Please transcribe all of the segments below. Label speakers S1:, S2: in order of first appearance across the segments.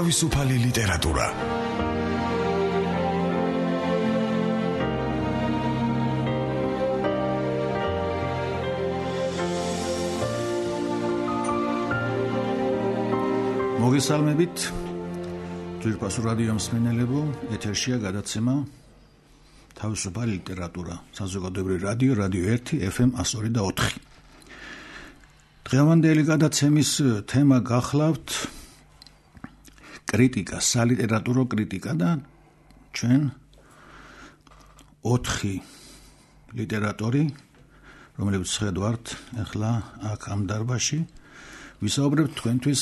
S1: თავისუფალი ლიტერატურა. მოგესალმებით, ძვირფასო რადიო მსმენელებო, ეთერშია გადაცემა თავისუფალი ლიტერატურა, საზოგადოებრივი რადიო, რადიო 1, FM 102.4. დღევანდელი გადაცემის თემა გახლავთ კრიტიკა, სალიტერატურო კრიტიკა და ჩვენ 4 ლიტერატორი, რომლებიც ხედავთ ახლა აქ ამ დარბაზში, ვისაუბრებთ თქვენთვის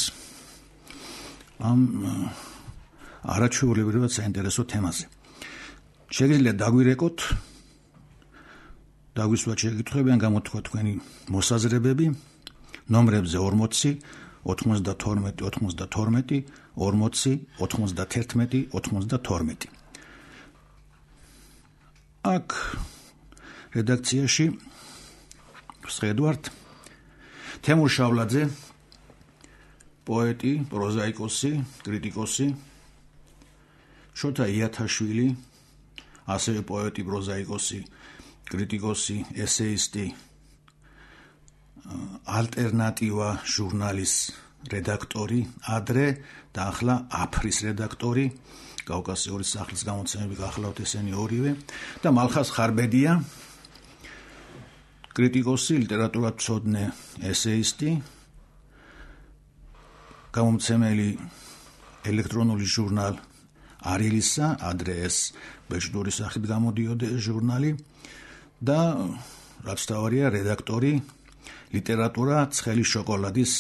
S1: ამ არაჩვეულებრივად საინტერესო თემაზე. შეგიძლიათ დაგვირეკოთ, დაგვისვათ შეკითხვები ან გამოთქვა თქვენი მოსაზრებები ნომრებზე 40 92 92 40 91 92. აქ რედაქციაში ვხედავთ თემურ შავლაძე, პოეტი, პროზაიკოსი, კრიტიკოსი, შოთა იათაშვილი, ასევე პოეტი, პროზაიკოსი, კრიტიკოსი, ესეისტი, ალტერნატივა ჟურნალის რედაქტორი, ადრე და ახლა აფრის რედაქტორი, კავკასიური სახლის გამოცემები გახლავთ ესენი ორივე და მალხაზ ხარბედია, კრიტიკოსი, ლიტერატურათმცოდნე, ესეისტი, გამომცემელი ელექტრონული ჟურნალ არილისა, ადრე ეს ბეჭდური სახით გამოდიოდა ჟურნალი და რაც თავარია რედაქტორი ლიტერატურა ცხელი შოკოლადის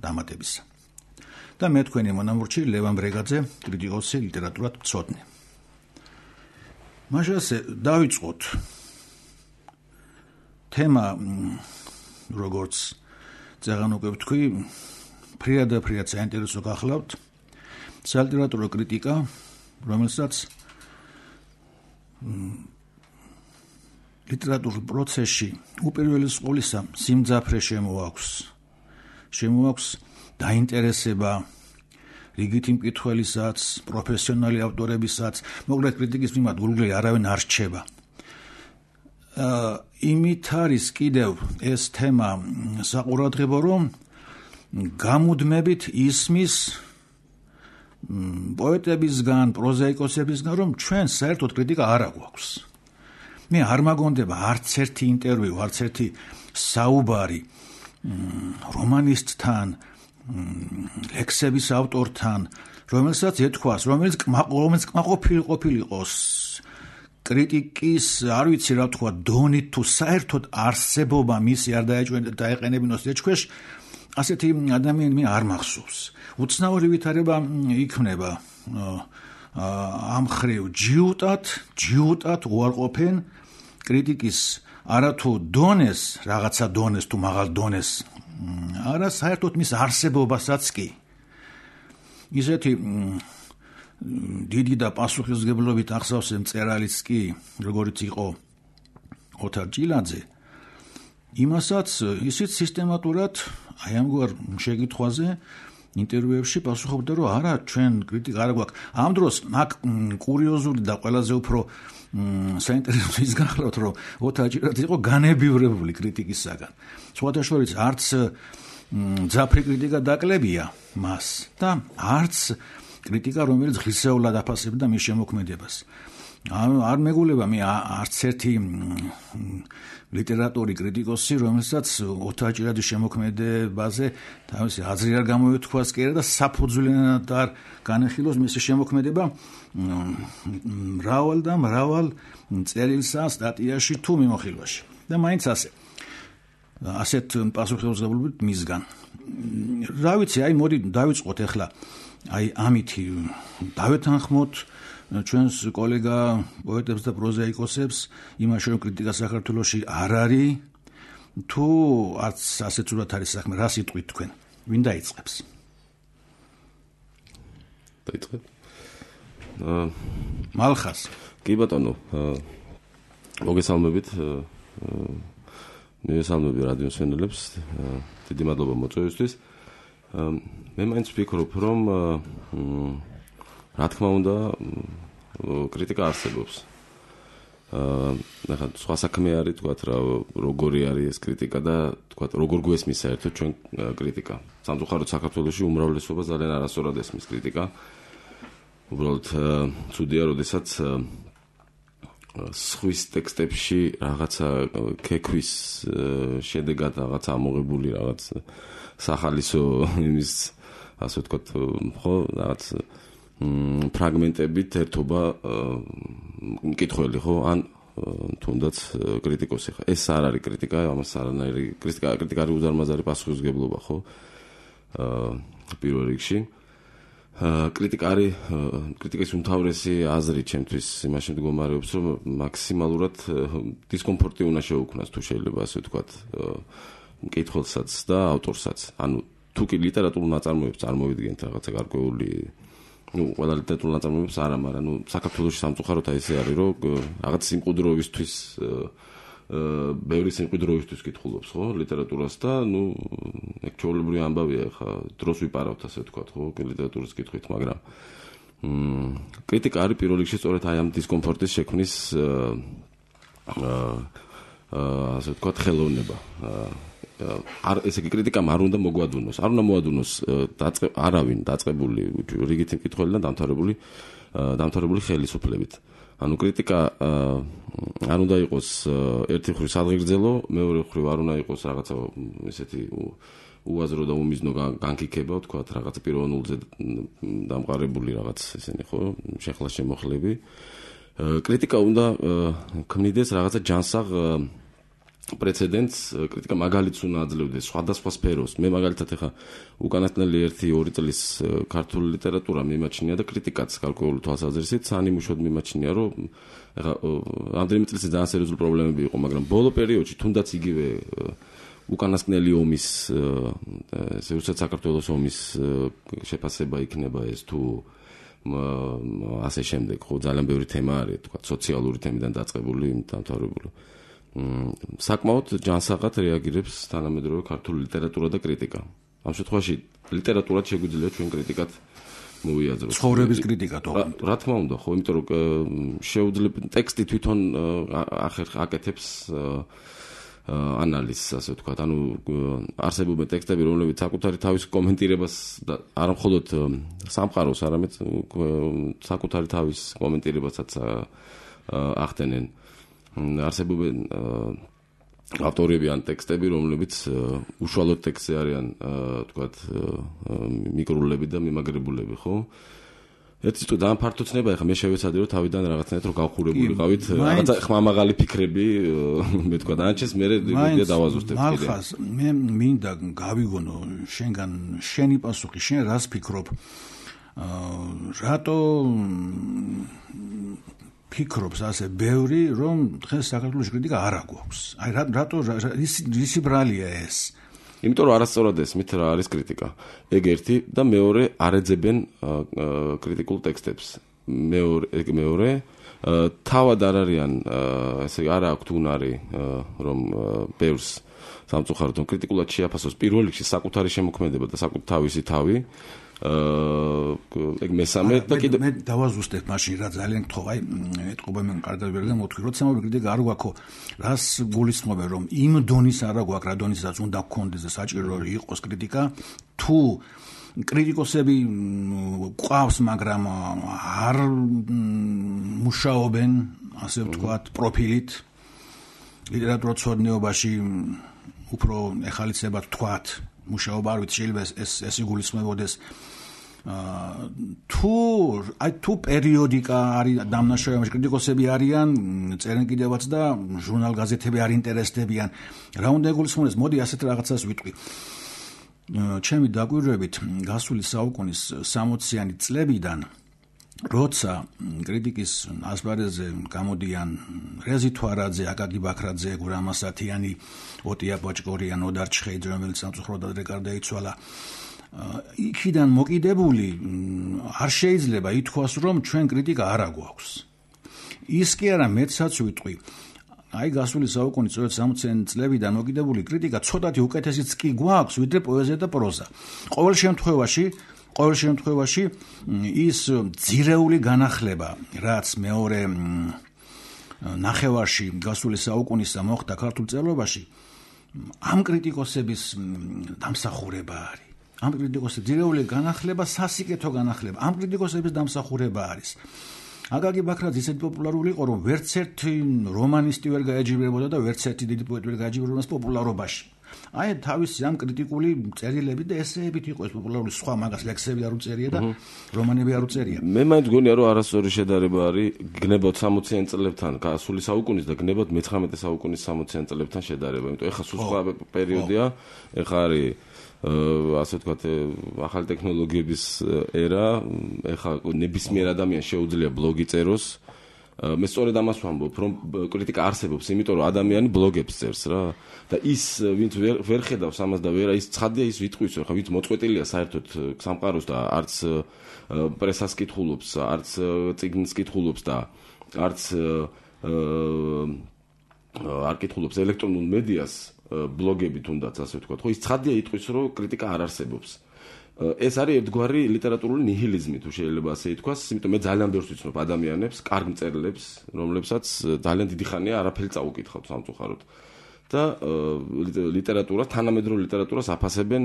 S1: დამატებისა. და მე თქვენი მონამორჩი ლევან ბრეგაძე, კრიტიკოსი, ლიტერატურათმცოდნე. მაშასე დავიწყოთ. თემა, როგორც წეგან უკვე ვთქვი, ფრიად საინტერესო გახლავთ, სალიტერატურო კრიტიკა, რომელსაც ლიტერატურულ პროცესში უპირველეს ყოვლისა სიმძაფრე შემოაქვს დაინტერესება რიგითი მკითხველისაც, პროფესიონალი ავტორებისაც, მოკლედ კრიტიკის მიმართ გულგრილი არავინ არ რჩება. იმით არის კიდევ ეს თემა საყურადღებო, რომ გამუდმებით ისმის პოეტებისგან, პროზაიკოსებისგან, რომ ჩვენ საერთოდ კრიტიკა არ აგვაქვს. მე არ მაგონდება არც ერთი ინტერვიუ, არც ერთი საუბარი რომანისტთან, ლექსების ავტორთან, რომელსაც ეთქვას, რომელიც კმაყოფილი ყოფილიყოს კრიტიკის, არ ვიცი რა თქვა, დონით თუ საერთოდ არსებობა მისი არ დაეყენებინოს ეჭქვეშ, ასეთი ადამიანი მე არ მახსოვს. უცნაური ვითარება იქნება ამ ხრივ ჯიუტად უარყოფენ კრიტიკის არათუ დონეს, რაღაცა დონეს თუ მაღალ დონეს, არა საერთოდ მის არსებობასაც კი. ისეთი დიდი და პასუხისმგებლობით ახსოვს მწერალიც კი, როგორიც იყო ოთარ ჭილაძე, იმასაც ისიც სისტემატურად აი ამგვარ შეკითხვაზე ინტერვიუებში პასუხობდა, რომ არა, ჩვენ კრიტიკა არ გვაქვს. ამ დროს აქ კურიოზული და ყველაზე უფრო საინტერესო ის გახლავთ, რომ ოთარ ჭილაძე იყო განებივრებული კრიტიკისაგან. სხვათა შორის არც მძაფრი კრიტიკა დაკლებია მას და არც კრიტიკა, რომელიც ღირსეულად აფასებდა მის შემოქმედებას. არ მეგულება მე არც ერთი ლიტერატური კრიტიკოსი, რომელსაც ოთარ ჭილაძის შემოქმედებაზე თავისი აზრი არ გამოეთქვას კი და საფუძვლიანად არ განეხილოს მისი შემოქმედება მრავალ წერილსა, სტატიაში თუ მიმოხილვაში. და მაინც ასეთ პასუხისმგებლობით მისგან. რა ვიცი, აი მოდი დავიწყოთ ახლა აი ამითი დავეთანხმოთ ჩვენს კოლეგა პოეტებს და პროზაიკოსებს იმაში, რომ კრიტიკა საქართველოში არ არის, თუ არც ასეთ სულად არის საქმე, რა სიტყვით თქვენ? ვინ დაიწყებს?
S2: დაიწყებ?
S3: მალხაზ.
S2: კი ბატონო, მოგესალმებით. მივესალმები რადიო მსმენელებს. დიდი მადლობა მოწვევისთვის. მე მაინც ვფიქრობ, რომ რა თქმა უნდა, კრიტიკა არსებობს. ნახეთ, სხვა საქმე არის, თქვათ რა, როგორი არის ეს კრიტიკა და თქვათ როგორ გვესმის საერთოდ ჩვენ კრიტიკა. სამწუხაროდ საქართველოში უმრავლესობა ძალიან არასწორად ესმის კრიტიკა. უბრალოდ ცუდია, როდესაც სხვის ტექსტებში რაღაცა ქეკვის შედეგად რაღაც ამოღებული რაღაც სახალისო იმის ასე ვთქვათ, ხო, რაღაც ფრაგმენტებით ერთობა მკითხველი, ხო, ან თუნდაც კრიტიკოსი ხარ. ეს არ არის კრიტიკა, ამას არანაირი კრიტიკა არის უზარმაზარი პასუხისმგებლობა, ხო? პირველ რიგში. კრიტიკა არის კრიტიკის უმთავრესი აზრი ჩემთვის იმაში მდგომარეობს, რომ მაქსიმალურად დისკომფორტი უნდა შეუქმნას, თუ შეიძლება ასე ვთქვათ, მკითხველსაც და ავტორსაც. ანუ თუ კი ლიტერატურულ ნაწარმოებს წარმოვიდგენთ რაღაცა გარკვეული, ყველა ლიტერატურულ ნაწარმოებს არა, მაგრამ საქართველოში სამწუხაროდ ესე არის, რომ რაღაც სიმყუდროვისთვის ბევრი სიმყუდროვისთვის კითხულობს, ხო, ლიტერატურას და ეგ ჩვეულებრივი ამბავია, ხა დროს ვიპარავთ ასე ვთქვათ, ხო, ლიტერატურის კითხვით, მაგრამ კრიტიკა არის პირველ რიგში სწორედ აი ამ დისკომფორტის შექმნის ასე ვთქვათ, ხელოვნება. ესე იგი კრიტიკამ არ უნდა მოგვადუნოს, არ უნდა მოადუნოს არავინ დაწყებული რიგითი მკითხველი და დამთავრებული ხელისუფლებით. ანუ კრიტიკა არ უნდა იყოს ერთი მხრივ სადღეგრძელო, მეორე მხრივ არ უნდა იყოს რაღაცა ესეთი უაზრო და უმიზნო განკიქება, ვთქვათ, რაღაც პიროვნულზე დამყარებული რაღაც ესენი, ხო, შეხლა შემოხლები. კრიტიკა უნდა ქმნიდეს რაღაცა ჯანსაღ პრეცედენტს, კრიტიკა მაგალითს უნდა აძლევდეს სხვადასხვა სფეროს. მე მაგალითად ეხა უკანასკნელი 1-2 წლის ქართული ლიტერატურა მიმაჩნია და კრიტიკაც გარკვეული თვალსაზრისით სანიმუშოდ მიმაჩნია, რომ ეხა ამდენიმე წელიწადში ძალიან სერიოზული პრობლემები იყო, მაგრამ ბოლო პერიოდში თუნდაც იგივე უკანასკნელი ომის ესე რუსეთ-საქართველოს ომის შეფასება იქნება ეს თუ ასე შემდეგ, ხო, ძალიან ბევრი თემა არის, თქვა, სოციალური თემიდან დაწყებული, დამთავრებული. საკმაოდ ჯანსაღად რეაგირებს თანამედროვე ქართული ლიტერატურა და კრიტიკა. ამ შემთხვევაში ლიტერატურად შეგვიძლია ჩვენ კრიტიკად მოვიაზროთ.
S1: ცხოვრების კრიტიკა თქო.
S2: რა თქმა უნდა, ხო, იმიტომ რომ შეუძლია ტექსტი თვითონ აკეთებს ანალიზს, ასე ვთქვათ, ანუ არსებობენ ტექსტები, რომლებიც საკუთარი თავის კომენტირებას და არა მხოლოდ სამყაროს, არამედ საკუთარი თავის კომენტირებასაც ახდენენ. არსებობენ ავტორები ან ტექსტები, რომლებიც უშუალოდ ტექსტზე არიან, ვთქვათ, მიკრულები და მიმაგრებულები, ხო? ერთი თუ ძალიან ფართო ცნება, ეხლა მე შევეცადე რომ თავიდან რაღაცნაირად რომ გავხურებული ყავით, რაღაცა ხმამაღალი ფიქრები, მე თქვა დანარჩენს მე დავაზუსტებ კიდე.
S1: მალხას მე მინდა გავიგონო შენგან შენი პასუხი, შენ რას ფიქრობ? რატო ფიქრობს ასე ბევრი, რომ დღეს საქართველოს კრიტიკა არ აგვაქვს? აი რატო ისი ბრალია ეს?
S2: იმიტომ რომ არასწორად ესმით რა არის კრიტიკა. ეგ ერთი და მეორე არ ეძებენ კრიტიკულ ტექსტებს. მეორე თავად არ არიან, ესე არ აქვთ უნარი, რომ ბევრს სამწუხაროდ კრიტიკულად შეაფასოს პირველ რიგში საკუთარი შემოქმედება და თავისი თავი. ეგ მესამე და კიდე
S1: მე დავაზუსტებ მაშინ რა ძალიან გთხოვ, აი ეთყობა მე კარგად ვერ დამოთქვი, როცა მოვიდა კრიტიკა არ გვაქვს, რას გულისხმობენ, რომ იმ დონის არა გვაქვს, რა დონისაც უნდა გქონდეს და საჭირო იყოს კრიტიკა, თუ კრიტიკოსები ყავს, მაგრამ არ მუშაობენ, ასე ვთქვათ, პროფილით ლიტერატურაცოდნეობაში უფრო ეხალისებად ვთქვათ, მუშაობა არ ვიცი, შეიძლება ეს იგულისხმებოდეს. თუ პერიოდიკა არის დამნაშავეებში, კრიტიკოსები არიან, წერენ კიდევაც და ჟურნალ გაზეთები არ ინტერესდებიან, რა უნდა იგულისხმოდეს? მოდი ასეთ რაღაცას ვიტყვი. ჩემი დაკვირვებით გასული საუკუნის 60-იანი წლებიდან, როცა კრიტიკის ასპარეზზე გამოდიან რეზი თვარაძე, აკაკი ბაქრაძე, გურამ ასათიანი, ოტია ბოჭკორიან, ოდარ ჩხეიძე, რომელიც სამწუხაროდ ადრე გარდაიცვალა, იქიდან მოკიდებული არ შეიძლება ითქვას, რომ ჩვენ კრიტიკა არ აგვაქვს. ის კი არა, მეცაც ვიტყვი. აი გასული საუკუნის 60-იანი წლებიდან მოკიდებული კრიტიკა ცოტათი უკეთესიც კი გვაქვს, ვიდრე პოეზია და პროზა. ყოველ შემთხვევაში ყოველ შემთხვევაში ის ძირეული განახლება, რაც მეორე ნახევარში გასული საუკუნისა მოხდა ქართულ წერლობაში, ამ კრიტიკოსების დამსახურება არის. ამ კრიტიკოსების ძირეული განახლება, სასიკეთო განახლება, ამ კრიტიკოსების დამსახურება არის. აკაკი ბაქრაძე ისეთი პოპულარული იყო, რომ ვერც ერთი რომანისტი ვერ გაეჯიბრებოდა და ვერც ერთი დიდი პოეტი ვერ გაეჯიბრებოდა პოპულარობაში. აი თავისი ამ კრიტიკული წერილები და ესეებით იყო ეს პოპულარული, სხვა მაგას ლექსები არ უწერია და რომანები არ უწერია.
S2: მე მაინც გონია რომ არასწორი შედარება არის გნებოთ 60-იან წლებთან გასული საუკუნის და გნებოთ მე-19 საუკუნის 60-იან წლებთან შედარება. იმიტომ ეხა სულ სხვა პერიოდია, ეხა არის ასე ვთქვათ, ახალი ტექნოლოგიების ერა, ეხა ნებისმიერ ადამიანს შეუძლია ბლოგი წეროს. მე სწორედ ამას ვამბობ, რომ კრიტიკა არსებობს, იმიტომ რომ ადამიანი ბლოგებს წერს რა და ის ვინც ვერ ხედავს ამას და ვერა ის ცხადია ის ვიტყვის, ხა ვინც მოწყვეტილია საერთოდ სამყაროს და არც პრესას კითხულობს, არც წიგნს კითხულობს და არც არ კითხულობს ელექტრონულ მედიას, ბლოგები თუნდაც ასე ვთქვათ, ხო ის ცხადია იტყვის, რომ კრიტიკა არ არსებობს. ეს არის ერთგვარი ლიტერატურული ნიჰილიზმი, თუ შეიძლება ასე ითქვას, იმიტომ მე ძალიან ბევრს ვიცნობ ადამიანებს, კარგ მწერლებს, რომლებსაც ძალიან დიდი ხანია არაფერი წაუკითხავთ სამწუხაროდ. და ლიტერატურა, თანამედროვე ლიტერატურას აფასებენ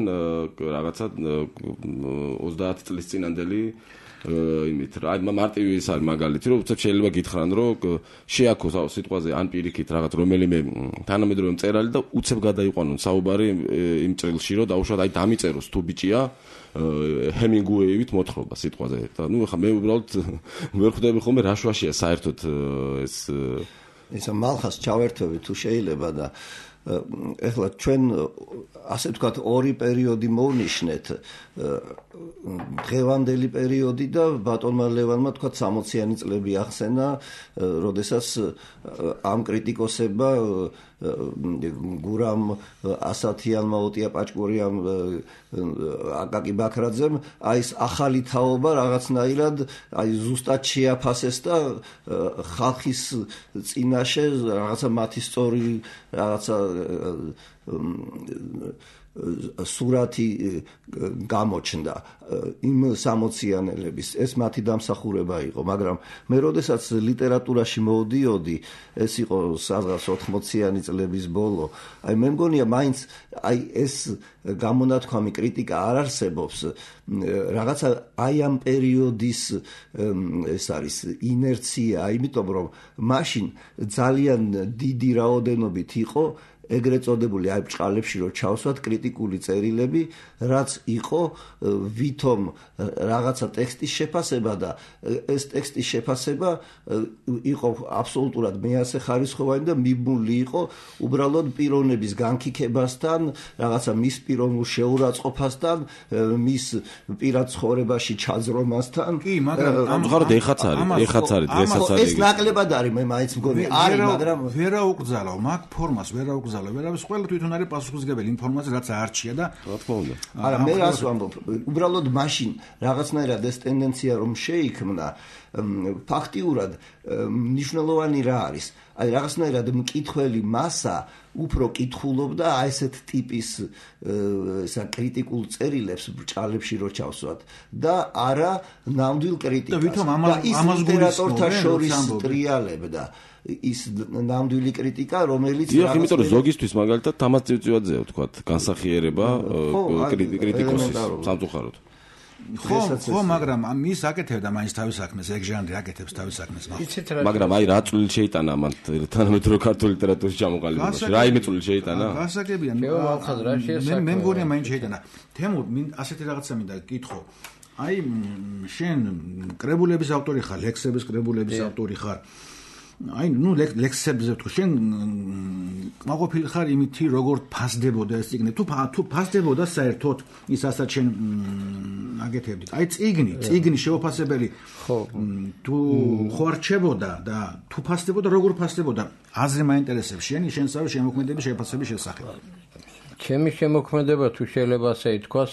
S2: რაღაცა 30 წლის წინანდელი იმით რა, მარტივი ის არის მაგალითი, რომ უცებ შეიძლება გითხრან, რომ შეაქოს სიტყვაზე ან პირიქით რაღაც რომელიმე თანამედროვე მწერალი და უცებ გადაიყვანონ საუბარი იმ წერილში, რომ დაუშვათ აი დამიწეროს თუ ბიჭია ჰემინგუეივით მოთხრობა სიტყვაზე. და ნუ ახლა მე უბრალოდ ვერ ხვდები ხოლმე რა შვაშია საერთოდ
S3: ეს მალხას ჩავერთვები თუ შეიძლება და ეხლა ჩვენ ასე ვთქვათ ორი პერიოდი მოვნიშნეთ დღევანდელი პერიოდი და ბატონმა ლევანმა თქვა 60-იანი წლები ახსენა, როდესაც ამ კრიტიკოსებმა გურამ ასათიანმა, ოტია პაჭკურიამ, აკაკი ბაქრაძემ აი ეს ახალი თაობა რაღაცნაირად აი ზუსტად შეაფასეს და ხალხის წინაშე რაღაცა მათი სწორი რაღაცა სურათი გამოჩნდა იმ 60-იანელების. ეს მათი დამსახურება იყო, მაგრამ მე როდესაც ლიტერატურაში მოვდიოდი, ეს იყო სადღაც 80-იანი წლების ბოლო, აი მე მგონია მაინც აი ეს გამონათქვამი კრიტიკა არ არსებობს, რაღაცა აი ამ პერიოდის ეს არის ინერცია, იმიტომ რომ მაშინ ძალიან დიდი რაოდენობით იყო ეგრეთ წოდებული აი ბჭყალებში რომ ჩავსვათ კრიტიკული წერილები, რაც იყო ვითომ რაღაცა ტექსტის შეფასება და ეს ტექსტის შეფასება იყო აბსოლუტურად მეასე ხარისხოვანი და მიბმული იყო უბრალოდ პიროვნების განკიქებასთან, რაღაცა მის პიროვნულ შეურაცხყოფასთან, მის პირად ცხოვრებაში ჩაძრომასთან.
S1: კი, მაგრამ
S2: ამ ხართ ეხაც არის, დღესაც არის.
S3: ეს ნაკლებად არის, მე მაინც მგონი არის, მაგრამ
S1: ვერა უკძალავ, მაგ ფორმას ვერა უკძალავ, ვერავის ყველა თვითონ არის პასუხისმგებელი ინფორმაცია, რაც აარჩია და
S2: რა თქმა უნდა.
S3: არა, მე რას ვამბობ, უბრალოდ მაშინ რაღაცნაირად ეს ტენდენცია რომ შეიქმნა, ფაქტიურად მნიშვნელოვანი რა არის? აი რაღაცნაირად მკითხველი მასა უფრო კითხულობდა აი ესეთ ტიპის კრიტიკულ წერილებს ბჭყალებში რო ჩავსვათ და არა ნამდვილ კრიტიკას.
S1: და ვითომ ამას
S3: ლიტერატორთა შორის ტრიალებდა ის ნამდვილი კრიტიკა, რომელიც
S2: დიახ, იმიტომ რომ ზოგისთვის მაგალითად თამარ წივწივაძეა ვთქვათ, განსახიერება კრიტიკოსის სამწუხაროდ.
S1: ხო, მაგრამ ის აკეთებდა მაინც თავის საქმეს, ეგ ჟანრი აკეთებს თავის საქმეს.
S2: მაგრამ აი რა წვლილი შეიტანა ამან თანამედროვე ქართული ლიტერატურის ჩამოყალიბებაში? რა იმე წვლილი შეიტანა?
S1: გასაგებია. მე მგონია მაინც შეიტანა. თემურ ასეთი რაღაცა მინდა გითხო. აი შენ კრებულების ავტორი ხარ, ლექსების კრებულების ავტორი ხარ. აი ნუ ლექსებზე ვთქვი, შენ კმაყოფილი ხარ იმითი, როგორ ფასდებოდა ეს წიგნი? თუ ფასდებოდა საერთოდ ის ასაც შენ აკეთებდით. აი წიგნი შეუფასებელი თუ ხო არჩებოდა და თუ ფასდებოდა, როგორ ფასდებოდა? აზრი მაინტერესებს შენსავე შემოქმედების შეფასების შესახებ.
S4: ჩემი შემოქმედება თუ შეიძლება ასე ითქვას,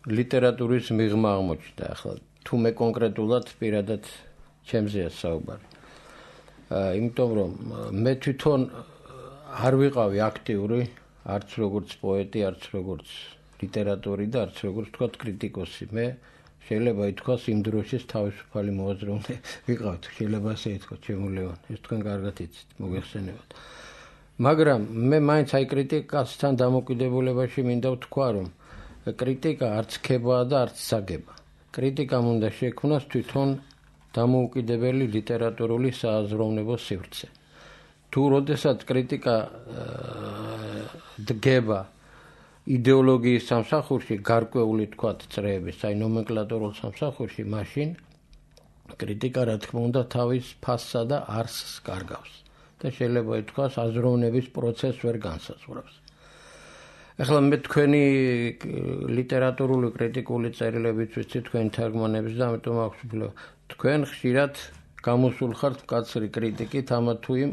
S4: ლიტერატურის მიღმა აღმოჩნდა. ახლა თუ მე კონკრეტულად პირადად ჩემზეა საუბარი. იმიტომ რომ მე თვითონ არ ვიყავი აქტიური, არც როგორც პოეტი, არც როგორც ლიტერატური და არც როგორც თქვა კრიტიკოსი. მე შეიძლება ითქვას იმ დროშის თავისუფალი მოაზროვნე ვიყავთ, შეიძლება ასე ითქვას, შემოვლევან. ეს თქვენ კარგად იცით, მოგეხსენებათ. მაგრამ მე მაინც აი კრიტიკასთან დამოკიდებულებაში მინდა ვთქვა, რომ კრიტიკა არც ქებაა და არც საგება. კრიტიკამ უნდა შექმნას თვითონ დამოუკიდებელი ლიტერატურული სააზროვნებო სივრცე. თუ როდესაც კრიტიკა დგება იდეოლოგიის სამსახურში, გარკვეული თქვათ წრეების, აი ნომენკლატურულ სამსახურში, მაშინ კრიტიკა რა თქმა უნდა თავის ფასსა და არსს კარგავს და შეიძლება ითქვას აზროვნების პროცესს ვერ განსაზღვრავს. ახლა მე თქვენი ლიტერატურული კრიტიკული წერილებით ვიცი თქვენ თარგმანებს და ამიტომ აქვს უფლება. თქვენ ხშირად გამოსულ ხართ მკაცრი კრიტიკით ამა თუ იმ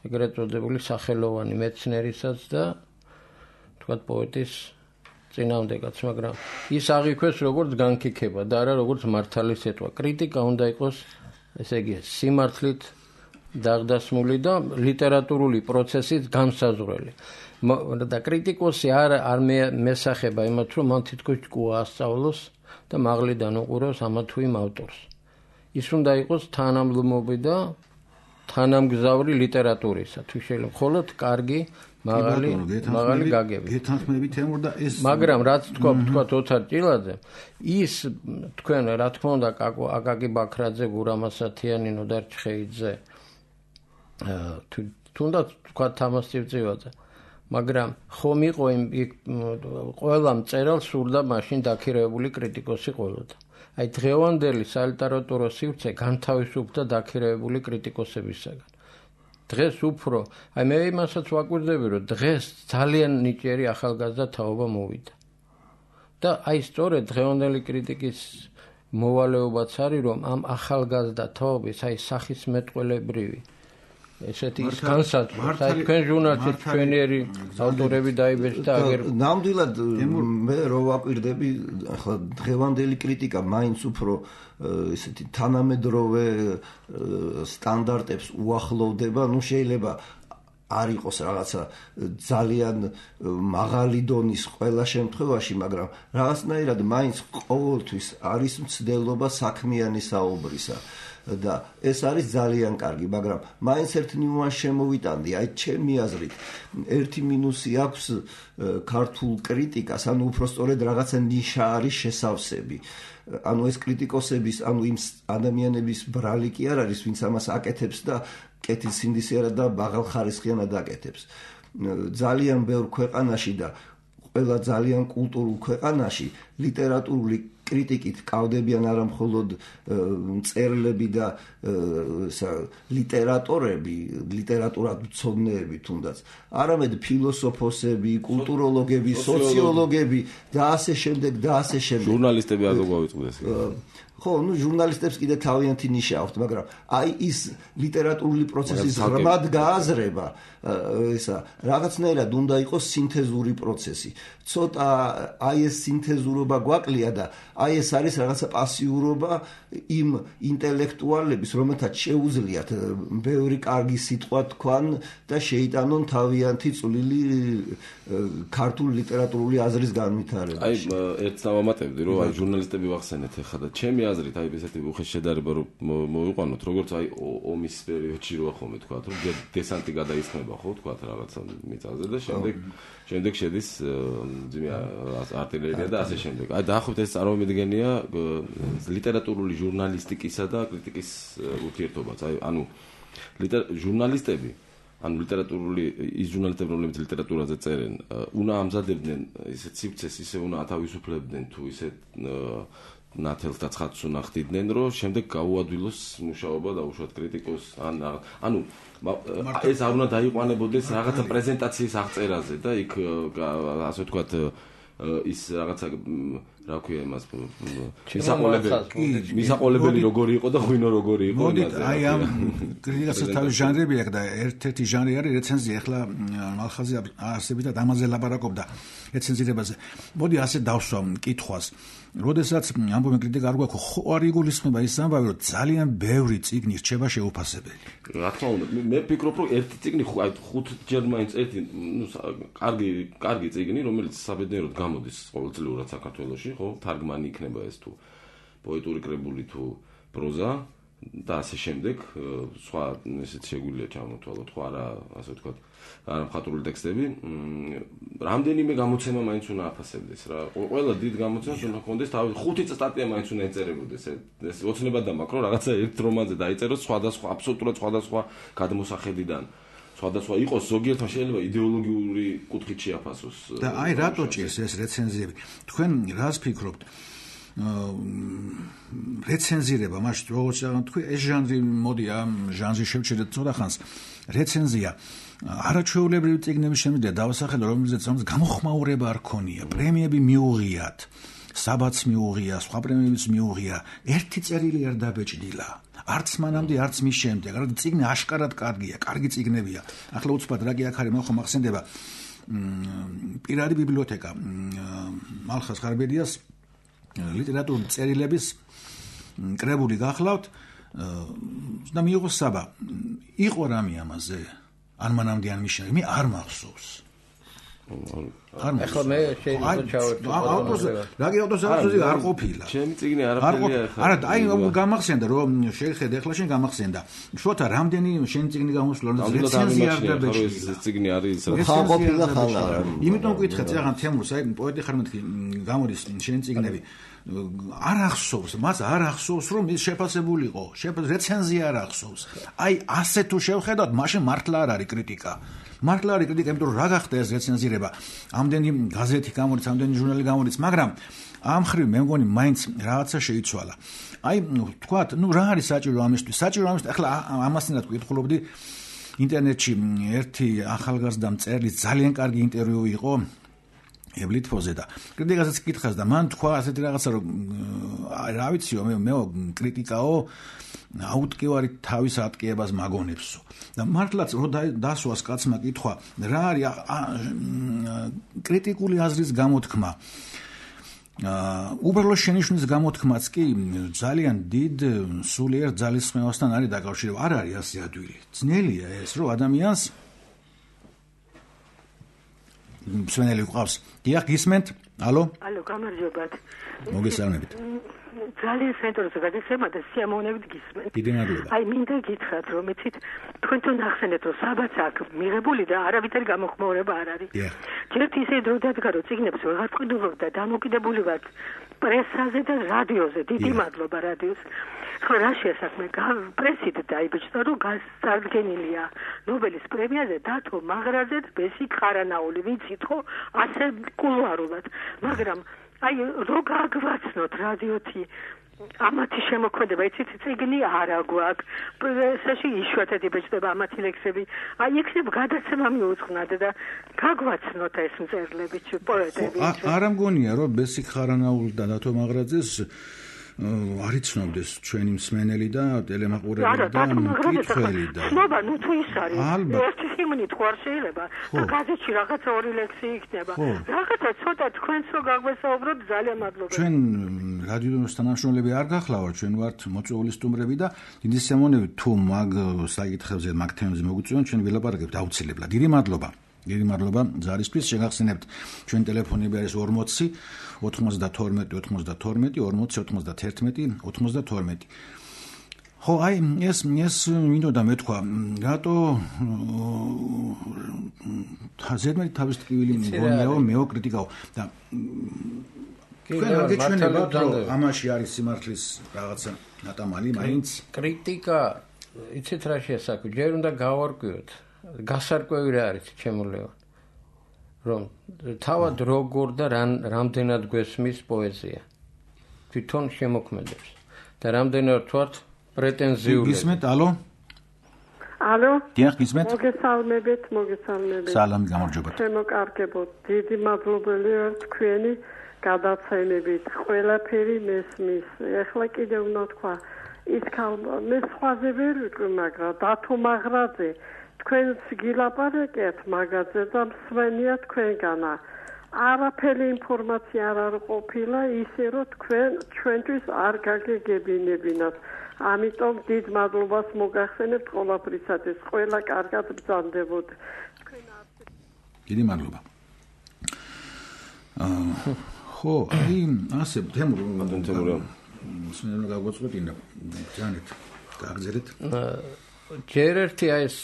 S4: ეგრეთ წოდებული სახელოვანი მეცნერისაც და თქვათ პოეტის წინააღმდეგაც, მაგრამ ის აღიქვეს როგორც განკიქება და არა როგორც მართალი სიტყვა. კრიტიკა უნდა იყოს, ესე იგი, სიმართლით დაღდასმული და ლიტერატურული პროცესით განსაზღვრელი. და კრიტიკოსი არ მესახება იმათ, რომ მან თითქოს ჭკუა ასწავლოს და მაღლიდან უყუროს ამა თუ იმ ავტორს. ის უნდა იყოს თანამდლობი და თანამგზავრი ლიტერატურისა. თუ შეიძლება მხოლოდ კარგი მაღალი გაგები.
S1: გეთანხმებით ემურ და ეს
S4: მაგრამ რაც თქვა ოთარ ჭილაძე, ის თქვენ რა თქმა უნდა აკაკი ბაქრაძე, გურამ ასათიანი, ნოდარ ჩხეიძე, თუნდაც თქვა თამას წივწივაძე, მაგრამ ხომ იყო ყველა მწერალს სურდა მაშინ დაქირავებული კრიტიკოსი ყოლოდა. აი დღევანდელი სალიტერატურო სივრცე განთავისუფლდა დაქირავებული კრიტიკოსებისაგან. დღეს უფრო, აი მე იმასაც ვაკვირდები, რომ დღეს ძალიან ნიჭიერი ახალგაზრდა თაობა მოვიდა. და აი სწორედ დღევანდელი კრიტიკის მოვალეობაც არის, რომ ამ ახალგაზრდა თაობის აი სახის მეტყველებრივი ესეთი ის განსაზღვრა, აი თქვენ ჟურნალში ჩვენიერი ავტორები დაიბეჭდა და აგერ
S3: ნამდვილად მე რო ვაკვირდები, ახლა დღევანდელი კრიტიკა მაინც უფრო ესეთი თანამედროვე სტანდარტებს უახლოვდება, ну შეიძლება არ იყოს რაღაცა ძალიან მაღალი დონის ყველა შემთხვევაში, მაგრამ რაღაცნაირად მაინც ყოველთვის არის მცდელობა საქმიანი საუბრისა. და ეს არის ძალიან კარგი, მაგრამ მაინც ერთ ნიუანსს შემოვიტანდი, აი ჩემი აზრით, ერთი მინუსი აქვს ქართულ კრიტიკას, ანუ უბრალოდ რაღაცა ნიშა არის შესავსები. ანუ ეს კრიტიკოსების, ანუ იმ ადამიანების ბრალი კი არ არის, ვინც ამას აკეთებს და კეთილსინდისიერად და მაღალხარისხიანად აკეთებს. ძალიან ბევრ ქვეყანაში და ყველა ძალიან კულტურულ ქვეყანაში ლიტერატურული კრიტიკით კავდებიან არა მხოლოდ მწერლები და ლიტერატორები, ლიტერატურათმცოდნეები თუნდაც, არამედ ფილოსოფოსები, კულტუროლოგები, სოციოლოგები და ასე შემდეგ და ასე შემდეგ.
S2: ჟურნალისტები არ გვავიწყდეს.
S3: ხო, ну ჟურნალისტებს კიდე თავიანთი ნიშა აქვთ, მაგრამ აი ის ლიტერატურული პროცესის ღრმად გააზრება, ესა რაღაცნაირად უნდა იყოს სინთეზური პროცესი. ცოტა აი ეს სინთეზურობა გვაკლია და აი ეს არის რაღაცა პასიურობა იმ ინტელექტუალების, რომელთაც შეუძლიათ ბევრი კარგი სიტყვა თქვან და შეიტანონ თავიანთი წვლილი ქართულ ლიტერატურული აზრის განვითარებაში.
S2: აი ერთს დავამატებდი, რომ აი ჟურნალისტები ვახსენეთ ახლა და ჩემი აზრით აი ესეთი უხეშ შედარება რომ მოვიყვანოთ, როგორც აი ომის პერიოდში როა ხოლმე თქვა, რომ დესანტი გადაისხმება ხო თქვა რაღაცა მიწაზე და შემდეგ შედის артиллерия და ასე შემდეგ. აი დაახლოებით ეს წარმომიდგენია ლიტერატურული ჟურნალისტიკისა და კრიტიკის ურთიერთობაც. აი ანუ ჟურნალისტები, ანუ ლიტერატურული ის ჟურნალისტები, რომლებიც ლიტერატურაზე წერენ, უნდა ამზადებდნენ ისეთ სივრცეს, ისე უნდა ათავისუფლებდნენ თუ ისეთ ნათელს და ცხადს უნდა ხდიდნენ, რომ შემდეგ გაუადვილოს მუშაობა და უშუალოდ კრიტიკოს ანუ ეს არ უნდა დაიყვანებოდეს რაღაცა პრეზენტაციის აღწერაზე და იქ ასე ვთქვათ ის რაღაცა რა ქვია იმას მისაყოლებელი როგორი იყო და ღვინო როგორი იყო
S1: მოდით აი ამ კრიტიკასაც თავის ჟანრები აქვს და ერთ-ერთი ჟანრი არის რეცენზია. ახლა მალხაზი არსებითად ამაზე ლაპარაკობდა რეცენზირებაზე. მოდი ასე დავსვამ კითხვას. როდესაც ამბობენ კრიტიკა არ გვაქვს, ხო არ იგულისხმება ის ამბავი, რომ ძალიან ბევრი წიგნი რჩება შეუფასებელი.
S2: რა თქმა უნდა, მე ვფიქრობ, რომ ერთი წიგნი 5-ჯერ მაინც ერთი, კარგი წიგნი, რომელიც საბედნიეროდ გამოდის ყოველწლიურად საქართველოში, ხო, თარგმანი იქნება ეს თუ პოეტური კრებული თუ პროზა და ასე შემდეგ, სხვა ესეც შეგვიძლია ჩამოთვალოთ, ხო არა, ასე ვთქვათ, არა მხატვრული ტექსტები, რამდენიმე გამოცემა მაინც უნდა აფასებდეს რა. ყველა დიდ გამოცემას უნდა ჰქონდეს თავი 5 სტატია მაინც უნდა ეწერებოდეს. ეს ოცნებად დამაკრო, რაღაცა ერთ რომანზე დაიწეროს სხვადასხვა, აბსოლუტურად სხვადასხვა გადმოსახედიდან. სხვადასხვა იყოს, ზოგიერთმა შეიძლება იდეოლოგიური კუთხით შეაფასოს.
S1: და აი რატო ჭირს ეს რეცენზიები? თქვენ რას ფიქრობთ? რეცენზირება, მაშინ როგორც თქვი, ეს ჟანრი მოდი ამ ჟანრში შევჩერდეთ ცოტა ხანს. რეცენზია არაჩვეულებრივი წიგნების შემიძლია დავასახელო, რომელზეც გამოხმაურება არ ქონია, პრემიები მიუღიათ, საბაც მიუღია, სხვა პრემიებიც მიუღია, ერთი წერილი არ დაბეჭდილა. არც მანამდე, არც მის შემდეგ. რა წიგნი აშკარად კარგია, კარგი წიგნებია. ახლა უცბად რა კი აქ არის, მე ხომ ახსენდება პირადი ბიბლიოთეკა მალხაზ ხარბედიას ლიტერატურული წერილების კრებული გახლავთ და მიიღო საბა. იყო რამე ამაზე? ან მანამდე ან მის შემდეგ, მე არ მახსოვს.
S4: ახლა მე შეიძლება ჩავერთო.
S1: რაგი ავტორი არ ყოფილა.
S2: ჩემი წიგნი არაფერია ახლა.
S1: არა, აი გამახსენდა რომ შეხედე, ახლა შენ გამახსენდა. შოთა რამდენი შენი წიგნი გამოსვლა, რომ რეცენზია არ დაბეჭდილა.
S2: ეს წიგნი არის
S3: ხან ყოფილა ხან არა.
S1: იმიტომ ვკითხე წეგან თემურს, აი პოეტი ხარ მეთქი გამოდის შენი წიგნები. არ ახსოვს, მას არ ახსოვს რომ ის შეფასებულიყო. რეცენზია არ ახსოვს. აი ასე თუ შევხედავთ, მაშინ მართლა არ არის კრიტიკა. მართლა არის კრიტიკა, იმიტომ რომ რა გახდა ეს რეცენზირება. ამდენი გაზეთი გამოდის, ამდენი ჟურნალი გამოდის, მაგრამ ამ ხრივ მე მგონი მაინც რაღაცა შეიცვალა. აი თქვათ, რა არის საჭირო ამისთვის? საჭირო ამისთვის, ახლა ამასთანაც ვკითხულობდი ინტერნეტში ერთი ახალგაზრდა მწერლის ძალიან კარგი ინტერვიუ იყო ებლითფოზე და კრიტიკასაც კითხავს და მან თქვა ასეთი რაღაცა რომ რა ვიციო მე კრიტიკაო აუტკივარი თავის ატკიებას მაგონებსო და მართლაც რო დასვას კაცმა კითხვა რა არის კრიტიკული აზრის გამოთქმა უბრალოდ შენიშვნის გამოთქმაც კი ძალიან დიდ სულიერ ძალისხმევასთან არის დაკავშირებული. არ არის ასე ადვილი. ძნელია ეს რომ ადამიანს მსმენელი ყავს. დიახ, გისმენთ? ალო?
S5: ალო, გამარჯობათ.
S1: მოგესალმებით.
S5: ძალიან სენტორზე გადაცემა და სიამოვნებით გისმენთ.
S1: დიდი მადლობა.
S5: აი, მინდა გითხრათ, რომ იცით, თქვენთან ახსენეთ, რომ საბაც აქვს მიღებული და არავითარი გამოხმაურება არ არის. ჯერთ ისე დრო დადგა, რომ წიგნებს ვეღარ ყიდულობ და დამოკიდებული ვართ პრესაზე და რადიოზე. დიდი მადლობა რადიოს. ხო, რა შეასახმე, პრესით დაიბეჭდა, რომ გასარგენილია ნობელის პრემიაზე დათო მაღრაძე და ბესიკ ხარანაული, ვიცით ხო, ასე კულუარულად. მაგრამ აი რო გაგვაცნოთ რადიოთი ამათი შემოქმედება, იცით, წიგნი არა გვაქვს, პრესაში იშვიათად იბეჭდება ამათი ლექსები. აი იქნებ გადაცემა მიუძღვნათ და გაგვაცნოთ ეს მწერლები, პოეტები.
S1: არა მგონია, რომ ბესიკ ხარანაული და დათო მაღრაძეს არ იცნობდეს ჩვენი მსმენელი და ტელემაყურებელი და მკითხველი და
S5: ცნობა, ნუ თუ ის არის ერთი ჰიმნი თუ არ შეიძლება და გაზეთში რაღაცა ორი ლექსი იქნება რაღაცა ცოტა თქვენც რო გაგვესაუბროთ ძალიან მადლობა
S1: ჩვენ რადიოს თანამშრომლები არ გახლავართ ჩვენ ვართ მოწვეული სტუმრები და დიდი სიამოვნებით თუ მაგ საკითხებზე მაგ თემებზე მოგვიწვიონ ჩვენ ვილაპარაკებთ აუცილებლად დიდი მადლობა დიდი მადლობა ზარისთვის შეგახსენებთ ჩვენ ტელეფონები არის 40 92 92 40 91 92 ხო აი ეს მინდოდა მეთქვა რატო ზედმეტი თავის ტკივილი მგონიაო მეო კრიტიკაო და თქვენ არ გეჩვენებათ რომ ამაში არის სიმართლის რაღაცა ნატამალი მაინც
S4: კრიტიკა იცით რა შეასაკვი ჯერ უნდა გავარკვიოთ გასარკვევი რა არის ჩემულეო რომ თავად როგორ და რამდენად გვესმის პოეზია თვითონ შემოქმედებს და რამდენად ვართ პრეტენზიული
S1: გისმენთ ალო
S5: ალო
S1: დიახ გისმენთ
S5: მოგესალმებით
S1: სალამი გამარჯობათ
S5: შემოკარგებოდ დიდი მადლობელი ვარ თქვენი
S6: გადაცემებით ყველაფერი მესმის. ეხლა კიდე უნდა თქვა ის მე სხვაზე ვერ ვიტყვი, მაგრამ დათო მაღრაძე თქვენს გილაპარაკეთ მაგაზე და მსმენია თქვენგანა. არაფერი ინფორმაცია არ ყოფილა ისე რომ ჩვენთვის არ გაგეგებინებინათ. ამიტომ დიდ მადლობას მოგახსენებთ ყველაფრისათვის. ყველა კარგად ბრძანდებოდ.
S1: დიდი მადლობა. ხო, აი ასე თემურა. მსმენელმა გაგვაწყვეტინა. ჯანეთ, გაგზელეთ.
S4: ჯერ ერთი ეს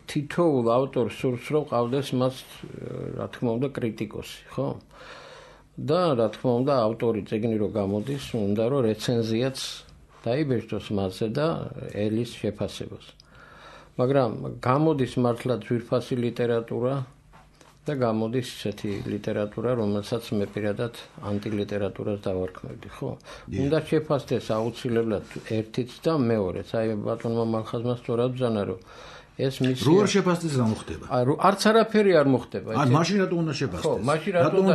S4: თითოეულ ავტორს სურს რომ ყავდეს მას რა თქმა უნდა კრიტიკოსი, ხო? და რა თქმა უნდა ავტორი წიგნი რო გამოდის, უნდა რომ რეცენზიაც დაიბეჭდოს მასზე და ელის შეფასებას. მაგრამ გამოდის მართლა ძვირფასი ლიტერატურა და გამოდის ესეთი ლიტერატურა, რომელსაც მე პირადად ანტილიტერატურას დავარქმევდი, ხო? უნდა შეფასდეს აუცილებლად ერთიც და მეორეც. აი ბატონმა მალხაზმა სწორად ბრძანა, რომ ეს მისი
S1: რო არ შეფასდეს რა მოხდება?
S4: არც არაფერი არ მოხდება.
S1: ან მაშინ რატო უნდა შეფასდეს?
S4: ხო, მაშინ რატო უნდა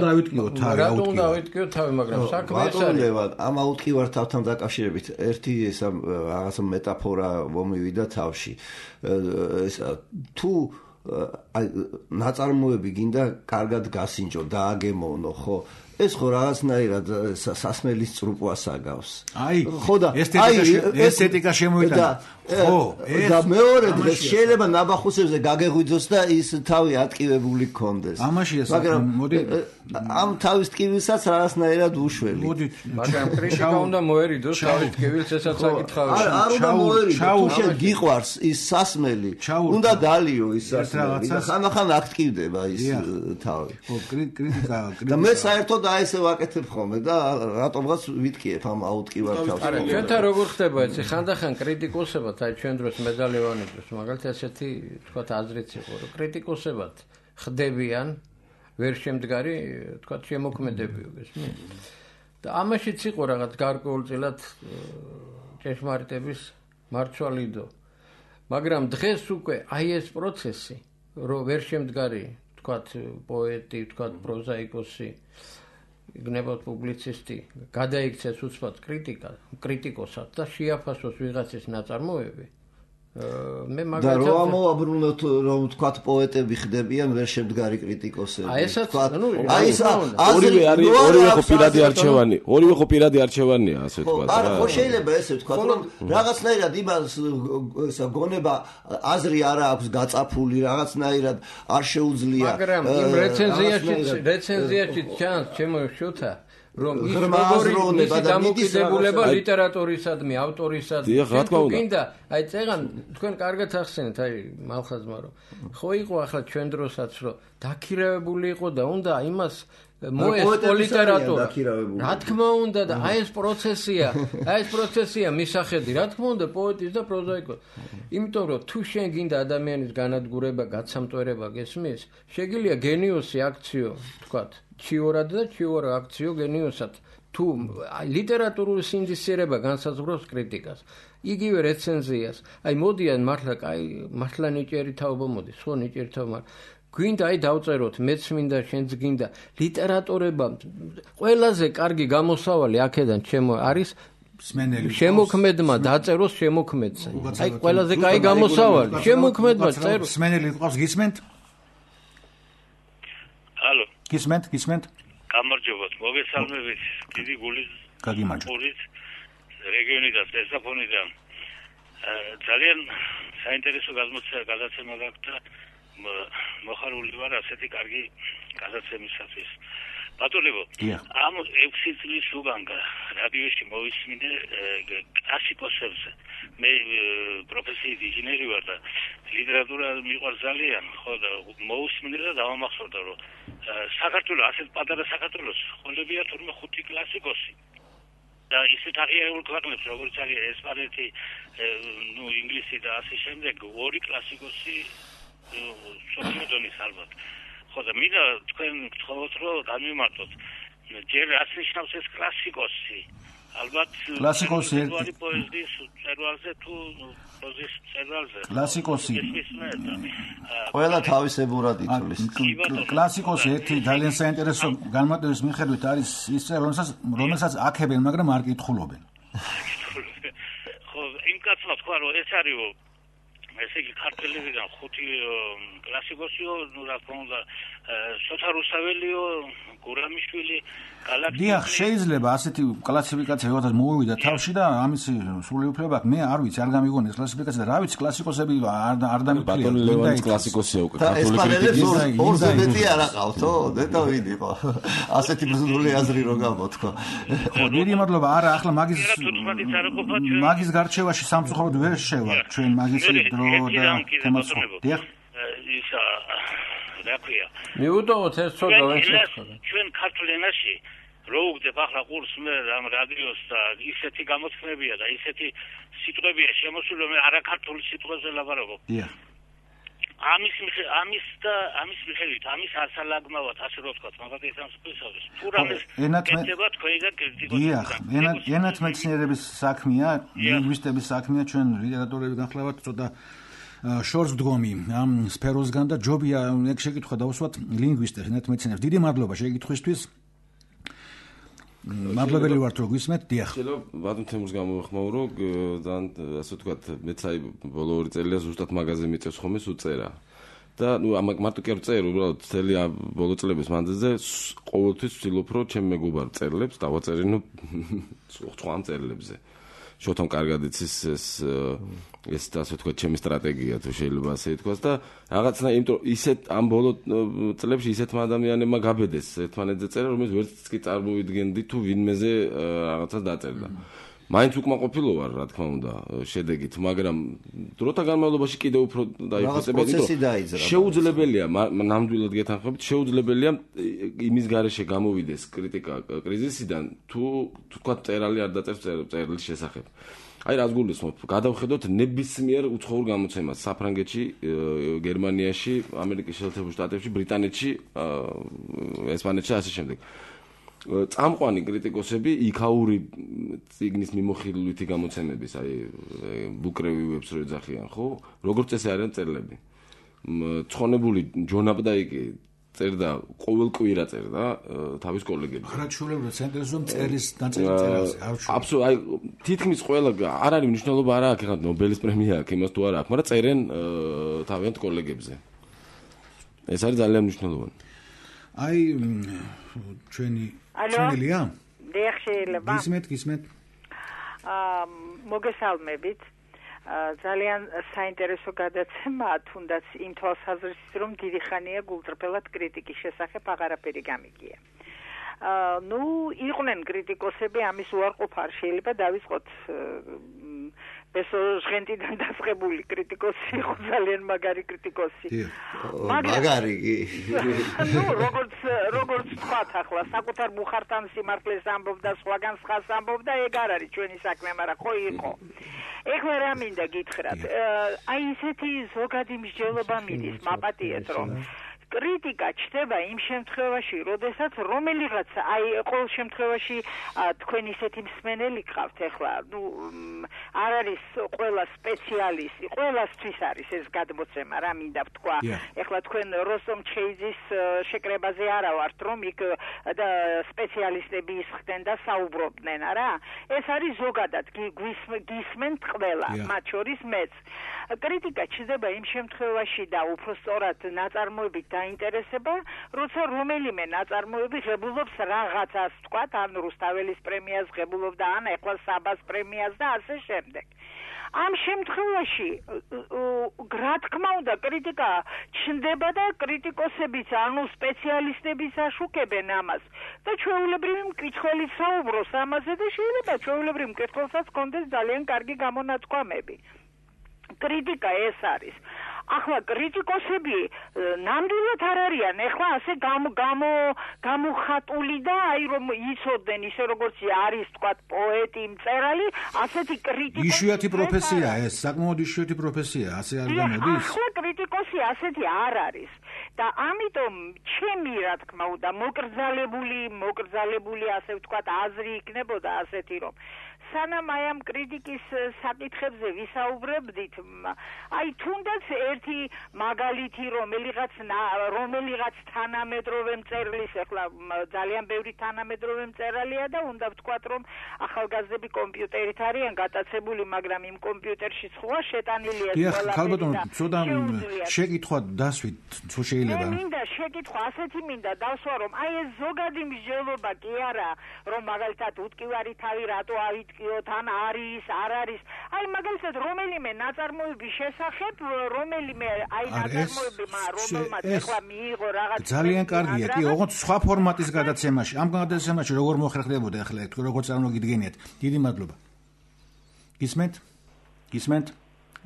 S4: დავიტკიოთ თავი, მაგრამ საქმე ეს არის.
S3: ამ აუტკივართავთან დაკავშირებით ერთი ესა რაღაცა მეტაფორა მომივიდა თავში. ესა თუ აი ნაწარმოები გინდა კარგად გასინჯო, დააგემოვნო, ხო? ეს ხო რაღაცნაირად სასმელის წრუპვას აგავს.
S1: აი, ხო და ესთეტიკა შემოიტანა. ხო,
S3: და მეორე დღეს შეიძლება ნაბახუსებზე გაგეღვიძოს და ის თავი ატკივებული გქონდეს.
S1: ამაშია
S3: მოდი ამ თავის ტკივილსაც რაღაცნაირად უშველი.
S4: მაგრამ კრიტიკა უნდა მოერიდოს თავის ტკივილს, ესაც საკითხავია.
S3: არ უნდა მოერიდო, თუ შენ გიყვარს ის სასმელი, უნდა დალიო ის სასმელი და ხანახან აქტივდება ის თავი.
S1: ხო, კრიტიკა.
S3: და მე საერთოდ აი ესე ვაკეთებ ხოლმე და რატომღაც ვიტკიებ ამ აუტკივარ თავს.
S4: არა, ჩვენთან როგორ ხდება ეს ხანდახან კრიტიკოსებად, აი ჩვენ დროს მედალევანი დროს მაგალითად ესეთი თქვა აზრიც იყო, რომ კრიტიკოსებად ხდებიან ვერ შემდგარი, თქვა შემოქმედებიო, გესმის? და ამაშიც იყო რაღაც გარკვეულწილად ჭეშმარიტების მარცვალიდო. მაგრამ დღეს უკვე აი ეს პროცესი, რომ ვერ შემდგარი, თქვა პოეტი, თქვა პროზაიკოსი გნებავთ პუბლიცისტი, გადაიქცეს უცბად კრიტიკოსად და შეაფასოს ვიღაცის ნაწარმოები. მე
S3: მაგალითად და რომ ამოაბრუნოთ რომ ვთქვათ პოეტები ხდებიან ვერ შემდგარი კრიტიკოსები.
S2: აი ეს ორივე არის ორივე ხო პირადი არჩევანია, ასე ვთქვათ.
S3: არა, ხო შეიძლება ესე ვთქვათ, რომ რაღაცნაირად იმას გონება აზრი არ აქვს გაწაფული, რაღაცნაირად არ შეუძლია.
S4: მაგრამ იმ რეცენზიაში ჩანს ჩემო შოთა რომ ის როგორი დამოკიდებულება ლიტერატურისადმი, ავტორისადმი. გინდა, აი წეგან თქვენ კარგად ახსენეთ, აი მალხაზმა რომ ხო იყო ახლა ჩვენ დროსაც რომ დაქირავებული იყო და უნდა იმას მოესწრო ლიტერატურა. რა თქმა უნდა და აი ეს პროცესია მისახედი, რა თქმა უნდა პოეტის და პროზაიკოს. იმიტომ რომ თუ შენ გინდა ადამიანის განადგურება, გაცამტვერება, გესმის? შეგიძლია გენიოსი აქციო, თქვათ ჩიორად და ჩიორა აქციო გენიოსად თუ ლიტერატურული სინდისიერება განსაზღვრავს კრიტიკას, იგივე რეცენზიას. აი მოდიან მართლა ნიჭიერი თაობა მოდის, ხო ნიჭიერი თაობა. გვინდა აი დავწეროთ, მეც მინდა, შენც გინდა. ლიტერატურება ყველაზე კარგი გამოსავალი აქედან ჩემო არის შემოქმედმა დაწეროს შემოქმედზე. აი ყველაზე კაი გამოსავალი შემოქმედმა წეროს.
S1: მსმენელი ყავს გისმენთ?
S7: ალო.
S1: გისმენთ?
S7: გამარჯობათ, მოგესალმებით. დიდი გულის
S1: გაგიმარჯობთ.
S7: რეგიონიდან, ესაფონიდან. ძალიან საინტერესო გადაცემა გაქვთ და მოხარული ვარ ასეთი კარგი გადაცემისათვის. ბატონებო, ამ 6 წლის უკან რადიოში მოვისმინე კლასიკოსებზე. მე პროფესიით ინჟინერი ვარ და ლიტერატურა მიყვარს ძალიან, ხო და მოვისმინე და დავამახსოვრდა, რომ საქართველოს ასეთ პატარა საქართველოს ხოლებია თურმე 5 კლასიკოსი. და ისეთ აღიარებულ ქვეყნებს, როგორც არის ესპანეთი, ინგლისი და ასე შემდეგ, 2 კლასიკოსი სოციალიზმის ალბათ. ხო და მინდა თქვენ გთხოვოთ, რომ განვიმარტოთ. ჯერ რაც ნიშნავს ეს კლასიკოსი, ალბათ
S1: კლასიკოსი
S7: პოეზიის წერვალზე თუ პროზის წერვალზე.
S1: კლასიკოსი
S3: ყველა თავისებურად ითვლის.
S1: კლასიკოსი ერთი ძალიან საინტერესო განმარტების მიხედვით არის ის წერა, რომელსაც აქებენ, მაგრამ არ კითხულობენ.
S7: ხო, იმ კაცმა თქვა, რომ ეს არისო ესე იგი ქართველებიდან 5 კლასიკოსიო, ну რა თქმა უნდა, სოთა რუსაველიო, გურამიშვილი, გალაქტიკა.
S1: დიახ, შეიძლება ასეთი კლასიფიკაცია ვიღაცას მოვივიდა თავში და ამის სრული უფლება აქვს. მე არ ვიცი, არ გამიგონი ეს კლასიფიკაცია და რა ვიცი, კლასიკოსები არ დამიფრია.
S2: ბატონი ლევანის კლასიკოსია უკვე ქართული
S3: კრიტიკის. ორზე მეტი არ აყავთო, და ვიდიყო. ასეთი ბრძოლული აზრი რო გამოთქვა.
S1: ხო, დიდი მადლობა. არა, ახლა მაგის გარჩევაში სამწუხაროდ ვერ შევა ჩვენ მაგის დრო და თემას. დიახ.
S7: ისა რა ქვია?
S4: მიუდოვოთ ეს ცოტა ვეშეხო.
S7: ჩვენ ქართულ ენაში რო უგდებ ახლა ყურს მე ამ რადიოს და ისეთი გამოთქმებია და ისეთი სიტყვებია შემოსული, რომ არაქართული სიტყვებზე ლაპარაკობ.
S1: დიახ.
S7: ამის მიხედვით, ამის ასალაგმავად, ასე რო ვთქვათ, მაგალითად სამსხვილისათვის. თუ რამეს ეთება თქვენიდან კრიტიკოსი.
S1: დიახ, ენათმეცნიერების საქმეა, ლინგვისტების საქმეა, ჩვენ ლიტერატურები განხლავთ ცოტა შორს ვდგომი ამ სფეროსგან და ჯობია ეგ შეკითხვა დავუსვათ ლინგვისტებს, ენათმეცნიერებს. დიდი მადლობა შეკითხვისთვის. მადლობელი ვართ რომ გვისმენთ. დიახ.
S2: შეიძლება ბატონ თემურს გამოვიხმაურო, ძალიან ასე ვთქვათ, მეც აი ბოლო 2 წელია ზუსტად მაგაზე მიწევს ხოლმე უწერა. და ნუ მარტო კი არ წერ, უბრალოდ მთელი ბოლო წლების მანძილზე ყოველთვის ვცდილობ რომ ჩემ მეგობარ წერლებს დავაწერინო სხვა წერლებზე. შოთომ კარგად იცის ეს ასე ვთქვათ, ჩემი სტრატეგია თუ შეიძლება ასე ითქვას და რაღაცნა იმიტომ ისეთ ამ ბოლო წლებში ისეთმა ადამიანებმა გაბედეს ერთმანეთზე წერა, რომელიც ვერც კი წარმოვიდგენდი თუ ვინმეზე რაღაცას დაწერდა. მაინც უკმაყოფილო ვარ, რა თქმა უნდა, შედეგით, მაგრამ დროთა განმავლობაში კიდევ უფრო დაიფუძნებია,
S3: იმიტომ
S2: შეუძლებელია ნამდვილად გეთანხმებით, შეუძლებელია იმის გარეშე გამოვიდეს კრიტიკა კრიზისიდან, თუ თქვა წერალი არ დაწერს წერლის შესახებ. აი რას გულისხმობ, გადავხედოთ ნებისმიერ უცხოურ გამოცემას საფრანგეთში, გერმანიაში, ამერიკის შეერთებულ შტატებში, ბრიტანეთში, ესპანეთში ასე შემდეგ. წამყვანი კრიტიკოსები იქაური წიგნის მიმოხილვითი გამოცემების, აი ბუკრევიუებს რო ეძახიან, ხო? როგორც წესი არიან წერლები. ცხონებული ჯონ აპდაიკი წერდა, ყოველ კვირა წერდა თავის კოლეგებს.
S1: არაჩვეულებრივ ცენტრზე წერის დაწერილს
S2: აბსოლუტურად, აი თითქმის ყველა არ არის მნიშვნელობა არა აქვს, ეხლა ნობელის პრემია აქვს, იმას თუ არა აქვს, მაგრამ წერენ თავიანთ კოლეგებზე. ეს არის ძალიან მნიშვნელოვანი.
S1: აი ჩვენი ჩენელია?
S8: დიახ, შეიძლება.
S1: გისმენთ.
S8: მოგესალმებით. ძალიან საინტერესო გადაცემაა, თუნდაც იმ თვალსაზრისით, რომ დიდი ხანია გულწრფელად კრიტიკის შესახებ აღარაფერი გამიგია. ნუ იყვნენ კრიტიკოსები, ამის უარყოფა არ შეიძლება დავიწყოთ ბესო ჟღენტიდან დასწრებული კრიტიკოსი იყო, ძალიან მაგარი კრიტიკოსი.
S3: მაგარი კი.
S8: ნუ როგორც თქვათ ახლა, საკუთარ მუხართან სიმართლეს ამბობდა, სხვაგან სხვას ამბობდა, ეგ არ არის ჩვენი საქმე, მაგრამ ხო იყო. ეხლა რა მინდა გითხრათ, აი ესეთი ზოგადი მსჯელობა მიდის, მაპატიეთ რომ კრიტიკა ჩდება იმ შემთხვევაში, როდესაც რომელიღაც, აი ყოველ შემთხვევაში თქვენ ისეთი მსმენელი გყავთ ახლა, ნუ არ არის ყველა სპეციალისტი, ყველასთვის არის ეს გადმოცემა, რა მინდა ვთქვა. ახლა თქვენ როსტომ ჩხეიძის შეკრებაზე არა ვართ, რომ იქ სპეციალისტები ისხდნენ და საუბრობდნენ, არა? ეს არის ზოგადად, გისმენთ ყველა, მათ შორის მეც. კრიტიკა ჩდება იმ შემთხვევაში და უფრო სწორად ნაწარმოებით დაინტერესება, როცა რომელიმე ნაწარმოები ღებულობს რაღაცას, ვთქვათ, ან რუსთაველის პრემიას ღებულობდა, ან ახლა საბას პრემიას და ასე შემდეგ. ამ შემთხვევაში, რა თქმა უნდა, კრიტიკა ჩნდება და კრიტიკოსებიც, ანუ სპეციალისტებიც აშუქებენ ამას და ჩვეულებრივი მკითხველი საუბრობს ამაზე და შეიძლება ჩვეულებრივ მკითხველსაც ჰქონდეს ძალიან კარგი გამონათქვამები. კრიტიკა ეს არის. ახლა კრიტიკოსები ნამდვილად არ არიან, ახლა ასე გამოხატული და აი რომ იცოდნენ ისე როგორც არის, თქვათ, პოეტი, მწერალი, ასეთი კრიტიკოსი.
S1: იშვიათი პროფესია ეს, საკმაოდ იშვიათი პროფესია, ასე არ გამოდის?
S8: ახლა კრიტიკოსი სიტუაცია ასეთი არ არის და ამიტომ ჩემი რა თქმა უნდა მოკრძალებული ასე ვთქვათ აზრი იქნებოდა ასეთი რომ სანამ აი ამ კრიტიკის საკითხებზე ვისაუბრებდით აი თუნდაც ერთი მაგალითი რომელიღაც თანამედროვე მწერლის ახლა ძალიან ბევრი თანამედროვე მწერალია და უნდა ვთქვათ რომ ახალგაზრდები კომპიუტერით არიან გატაცებული მაგრამ იმ კომპიუტერში სხვა შეტანილია
S1: ყველა ხალბატონო ცოტა შეკითხვა დასვით თუ შეიძლება
S8: მინდა შეკითხვა ასეთი მინდა დავსვა რომ აი ეს ზოგადი მსჯელობა კი არა რომ მაგალითად უტკივარი თავი რატო ავიტკიოთ ან არის არ არის აი მაგალითად რომელიმე ნაწარმოების შესახებ რომელიმე აი ნაწარმოებმა რომელმაც ახლა მიიღო რაღაც
S1: ძალიან კარგია კი ოღონდ სხვა ფორმატის გადაცემაში ამ გადაცემაში როგორ მოხერხდებოდა ახლა თუ როგორ წარმოგიდგენიათ დიდი მადლობა გისმენთ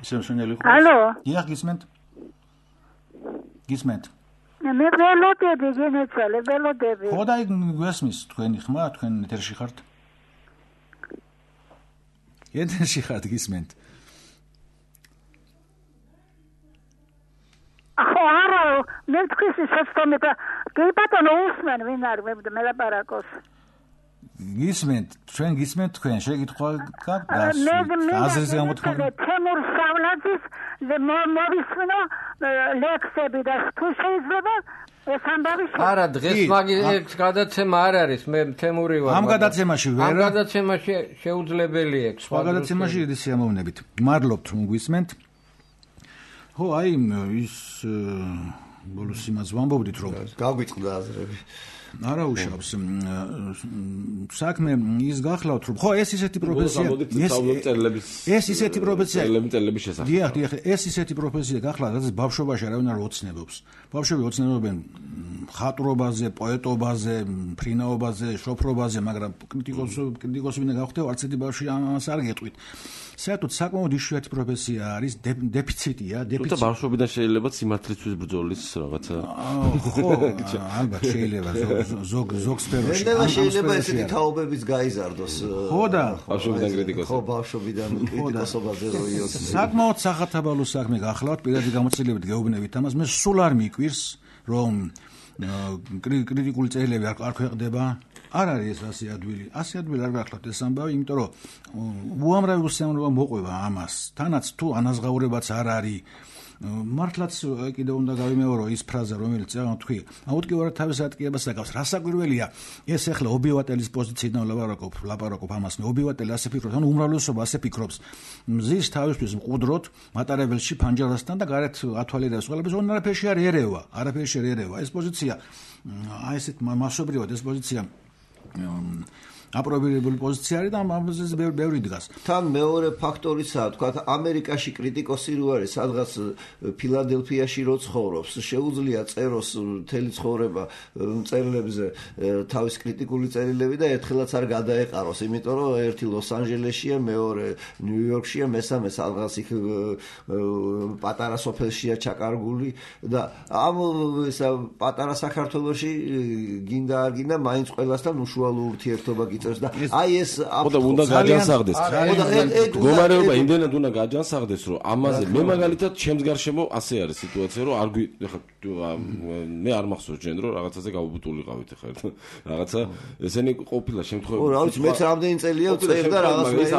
S1: ისე მსმენელი ხო
S9: ალო
S1: დიახ გისმენთ
S9: მე ველოდები გენეცვალე ველოდები
S1: ხო და გვესმის თქვენი ხმა თქვენ ეთერში ხართ ეთერში ხართ გისმენთ
S9: ხო არა მე თქვენი სისტემა კი ბატონო უსმენ ვინ არის მე ლაპარაკოს
S1: გისმენთ თქვენ შეკითხვა გაქვს აზრზე გამოთქმული
S9: თემურ სავლაძის მოვისმინო ლექსები და თუ შეიძლება ეს ამბავი
S4: არა დღეს მაგის გადაცემა არ არის მე თემური ვარ
S1: ამ გადაცემაში ვერ
S4: ამ გადაცემაში შეუძლებელია
S1: სხვა გადაცემაში დიდი სიამოვნებით მადლობთ რომ გვისმენთ ხო აი ის ბოლოს იმას ვამბობდით რომ
S3: გაგვიწყდა აზრები
S1: არა უშავს საქმე ის გახლავთ რომ ხო ეს ისეთი პროფესია ეს ისეთი პროფესია დიახ ეს ისეთი პროფესია გახლავთ რაც ბავშვობაში არავინ არ ოცნებობს ბავშვები ოცნებობენ ხატრობაზე პოეტობაზე ფრინაობაზე შოფრობაზე მაგრამ კრიტიკოსი ვინდა გავხდე არც ერთი ბავშვი ამას არ გეტყვით საერთოდ საკმაოდ იშვიათი პროფესია არის დეფიციტია
S2: თუმცა ბავშვობიდან შეიძლება სიმართლისთვის ბრძოლის რაღაცა
S1: ხო ალბათ შეიძლება ზოგ სფეროში
S3: შეიძლება ესეთი თაობებიც გაიზარდოს
S1: ხო და
S2: ბავშვობიდან კრიტიკოსი
S3: ხო ბავშვობიდან კრიტიკოსობაზე როიოს
S1: საკმაოდ სახათაბალო საქმე გახლავთ პირადი გამოცდილებით გეუბნებით ამას მე სულ არ მიკვირს რომ კრიტიკული წერილები არ ქვეყნდება არ არის ეს ასე ადვილი არ გახლავთ ეს ამბავი იმიტომ რომ უამრავი უსიამოვნება მოყვება ამას თანაც თუ ანაზღაურებაც არ არის მართლაც კიდევ უნდა გავიმეორო ის ფრაზა რომელიც წეგან თქვი აუტკივარად თავის ატკიებას აკავს რასაკვირველია ეს ახლა ობიევატელის პოზიციიდან ლაპარაკობ ამას ობიევატელი ასე ფიქრობს ანუ უმრავლესობა ასე ფიქრობს მზის თავისთვის მყუდროთ მატარებელში ფანჯარასთან და გარეთ ათვალიერებს ყველაფერს არაფერში არ ერევა ეს პოზიცია აი ესეთ მასობრივად ეს პოზიცია აპრობირებული პოზიცია არის და ამაზე ბევრი დგას.
S3: თან მეორე ფაქტორიცაა, თქვა ამერიკაში კრიტიკოსი რო არის, სადღაც ფილადელფიაში რო ცხოვრობს, შეუძლია წეროს მთელი ცხოვრება წერილებზე თავის კრიტიკული წერილები და ერთხელაც არ გადაეყაროს, იმიტომ რომ ერთი ლოს-ანჯელესშია, მეორე ნიუ-იორკშია, მესამე სადღაც იქ პატარა სოფელშია ჩაკარგული და ამ პატარა საქართველოში გინდა არ გინდა მაინც ყველასთან უშუალო ურთიერთობა და აი ეს
S2: ხოდა უნდა გაჯანსაღდეს. მდგომარეობა იმდენად უნდა გაჯანსაღდეს, რომ ამაზე მე მაგალითად ჩემს გარშემო ასე არის სიტუაცია, რომ არ მე არ მახსოვს ჯენ რომ რაღაცაზე გავუბუტულიყავით ხა რაღაცა ესენი ყოფილა შემთხვევები.
S3: რა ვიცი მეც რამდენი წელია წერდა რაღაცა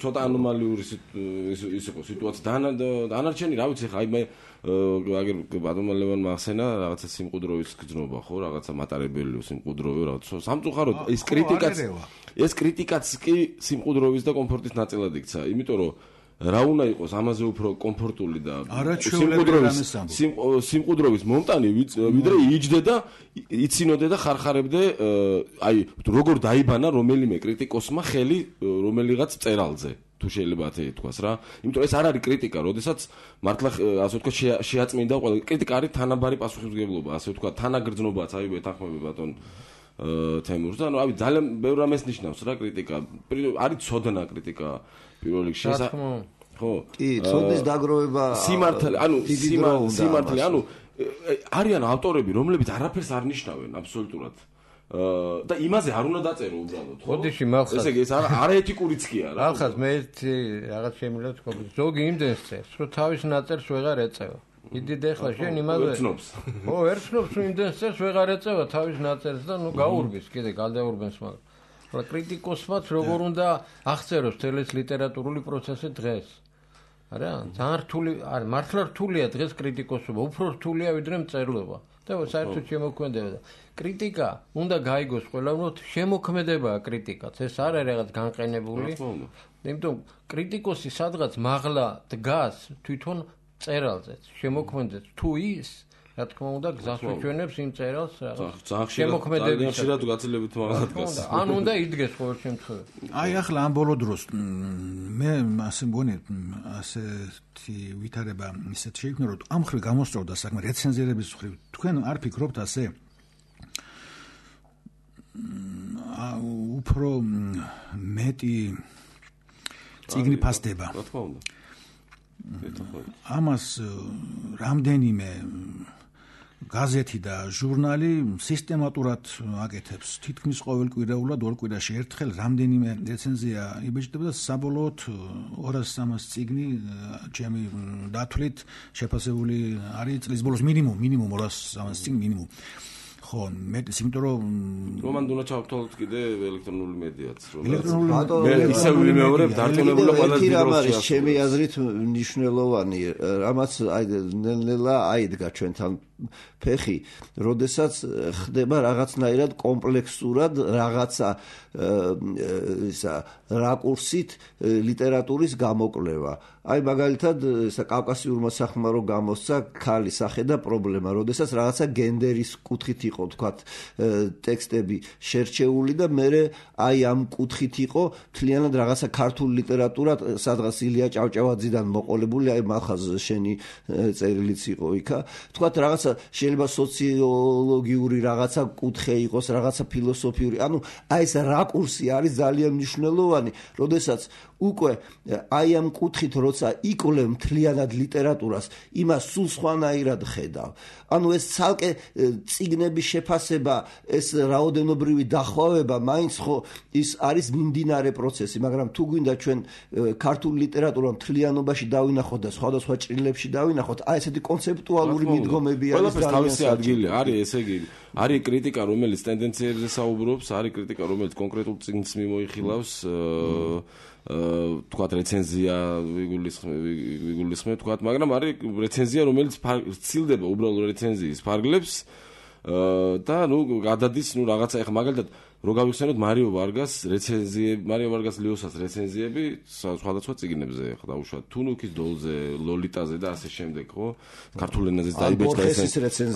S2: ცოტა ანომალიური ის იყო სიტუაცია. დანარჩენი რა ვიცი ხა აი მე აგერ ბატონმა ლევანმა ახსენა რაღაცა სიმყუდროვის გზნობა ხო რაღაცა მატარებელი სიმყუდროვი რაღაცა სამწუხაროდ ეს კრიტიკაც კი სიმყუდროვის და კომფორტის ნაწილად იქცა იმიტომ რომ რა უნდა იყოს ამაზე უფრო კომფორტული და სიმყუდროვის მომტანი ვიდრე იჯდე და იცინოდე და ხარხარებდე აი როგორ დაიბანა რომელიმე კრიტიკოსმა ხელი რომელიღაც წერალზე თუ შეიძლება ასე თქვას რა იმიტომ ეს არ არის კრიტიკა როდესაც მართლა ასე ვთქვა შეაწმინდა ყველა კრიტიკა არის თანაბარი პასუხისმგებლობა ასე ვთქვა თანაგრძნობაც აი ვეთანხმები ბატონ თემურს და ანუ ძალიან ბევრ რამეს ნიშნავს რა კრიტიკა არის ცოდნა კრიტიკა პირველ რიგში ხო
S3: კი ცოდნის დაგროვება
S2: სიმართლე ანუ არიან ავტორები რომლებიც არაფერს არ ნიშნავენ აბსოლუტურად და იმაზე არ უნდა დაწერო უბრალოდ ხო
S4: ხოდიში მახსოვს
S2: ესე იგი ეს არაეთიკურიც კი არა
S4: ახლა მე რაღაც შემიძლია თქვა ზოგი იმდენს წერს რომ თავის ნაწერს ვეღარ ეწევა იდიდე ახლა შენ იმაზე ხო ერთნობს იმდენს წელს ვეღარ ეწევა თავის ნაწერს და გაურბის კიდე გადაურბენს მაგრამ ახლა კრიტიკოსმაც როგორ უნდა აღწეროს თელეს ლიტერატურული პროცესი დღეს არა ძალიან რთული არა მართლა რთულია დღეს კრიტიკოსობა უფრო რთულია ვიდრე მწერლობა და საერთოდ შემოქმედება და კრიტიკა უნდა გაიგოს ყველანაირად შემოქმედებაა კრიტიკაც ეს არ არის რაღაც განყენებული იმიტომ კრიტიკოსი სადღაც მაღლა დგას თვითონ წერალზე შემოქმედებს თუ ის რა თქმა უნდა გზას უჩვენებს იმ წერალს რაღაც შემოქმედების
S2: შეიძლება გაცილებით მაღლა დგას
S4: ან უნდა იდგეს ყოველ შემთხვევაში
S1: აი ახლა ამ ბოლო დროს მე ასე მგონი ასეთი ვითარება ისეთ შეიქმნა რომ ამ ხრი გამოსწორდა საქმე რეცენზირების ხრი თქვენ არ ფიქრობთ ასე უფრო მეტი წიგნი ფასდება
S2: რა თქმა უნდა
S1: ამას რამდენიმე გაზეთი და ჟურნალი სისტემატურად აკეთებს თითქმის ყოველკვირეულად ორ კვირაში ერთხელ რამდენიმე რეცენზია იბეჭდება და საბოლოოდ 200-300 წიგნი ჩემი დათვლით შეფასებული არის წლის ბოლოს მინიმუმ 200-300 წიგნი მინიმუმ ხო მეტის იმიტომ რომ
S2: რომან უნდა ჩავთვალოთ კიდე ელექტრონული მედიაც მე ისე ვიმეორებ დარწმუნებული ყველა
S3: დიდროს ჩემი აზრით მნიშვნელოვანი რამაც აი ნელ-ნელა აიდგა ჩვენთან ფეხი როდესაც ხდება რაღაცნაირად კომპლექსურად რაღაცა ისა რაკურსით ლიტერატურის გამოკვლევა აი მაგალითად ისა კავკასიურმა სახმარო გამოსცა ქალის სახე და პრობლემა როდესაც რაღაცა გენდერის კუთხით იყო თქვათ ტექსტები შერჩეული და მე აი ამ კუთხით იყო მთლიანად რაღაცა ქართულ ლიტერატურად სადღაც ილია ჭავჭავაძიდან მოყოლებული აი მახაზ შენი წერილიც იყო იქა თქვათ რაღაცა შეიძლება სოციოლოგიური რაღაცა კუთხე იყოს რაღაცა ფილოსოფიური ანუ აი ეს რაკურსი არის ძალიან მნიშვნელოვანი როდესაც უკვე აი ამ კუთხით როცა იკვლევ მთლიანად ლიტერატურას იმას სულ სხვანაირად ხედავ ანუ ეს ცალკე წიგნების შეფასება ეს რაოდენობრივი დახვევება მაინც ხო ის არის მიმდინარე პროცესი მაგრამ თუ გვინდა ჩვენ ქართულ ლიტერატურა მთლიანობაში დავინახოთ და სხვადასხვა ჭრილებში დავინახოთ აი ესეთი კონცეპტუალური მიდგომები არის
S2: თავისი ადგილი არის ესე იგი არის კრიტიკა რომელიც ტენდენციებზე საუბრობს არის კრიტიკა რომელიც კონკრეტულ წიგნს მიმოიხილავს თქვათ რეცენზია ვიგულისხმევ თქვათ მაგრამ არის რეცენზია რომელიც ცილდება უბრალოდ რეცენზიის ფარგლებს და ნუ გადადის ნუ რაღაცა ეხა მაგალითად რო გავიხსენოთ მარიო ვარგას ლიოსას რეცენზიები სხვადასხვა წიგნებზე ეხა დაუშვათ თუნუქის დოლზე ლოლიტაზე და ასე შემდეგ ხო ქართულ ენაზეც დაიბეჭდა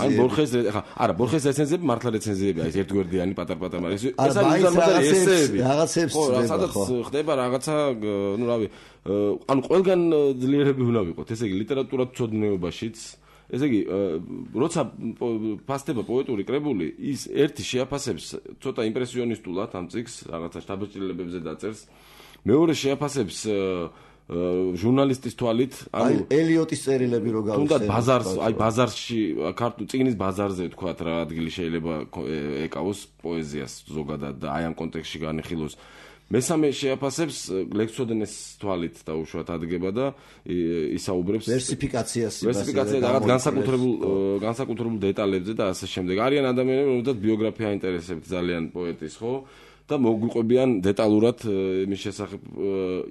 S3: აი
S2: ბორხეს ეხა არა ბორხეს რეცენზიები მართლა რეცენზიები არის ერთგვერდიანი პატარ-პატარ მაგრამ ეს არის ესეები
S3: რაღაცებს
S2: სადაც ხდება რაღაცა ნუ რავი ანუ ყველგან ძლიერები უნდა ვიყოთ ესე იგი ლიტერატურა ცოდნეობაშიც ესე იგი როცა ფასდება პოეტური კრებული ის ერთი შეაფასებს ცოტა იმპრესიონისტულად ამ წიგნს რაღაცა შთაბეჭდილებებზე დაწერს მეორე შეაფასებს ჟურნალისტის თვალით
S3: ანუ ელიოტის წერილები რო გავიხსენე
S2: თუნდაც ბაზარს აი ბაზარში ქართულ წიგნის ბაზარზე თქვათ რა ადგილი შეიძლება ეკავოს პოეზიას ზოგადად და აი ამ კონტექსტში განიხილოს მესამე შეაფასებს ლექსოდენეს თვალით დაუშვათ ადგება და ისაუბრებს
S3: ვერსიფიკაციას
S2: რაღაც განსაკუთრებულ დეტალებზე და ასე შემდეგ. არიან ადამიანები, რომელთაც ბიოგრაფია აინტერესებთ ძალიან პოეტის, ხო? და მოგვიყვებიან დეტალურად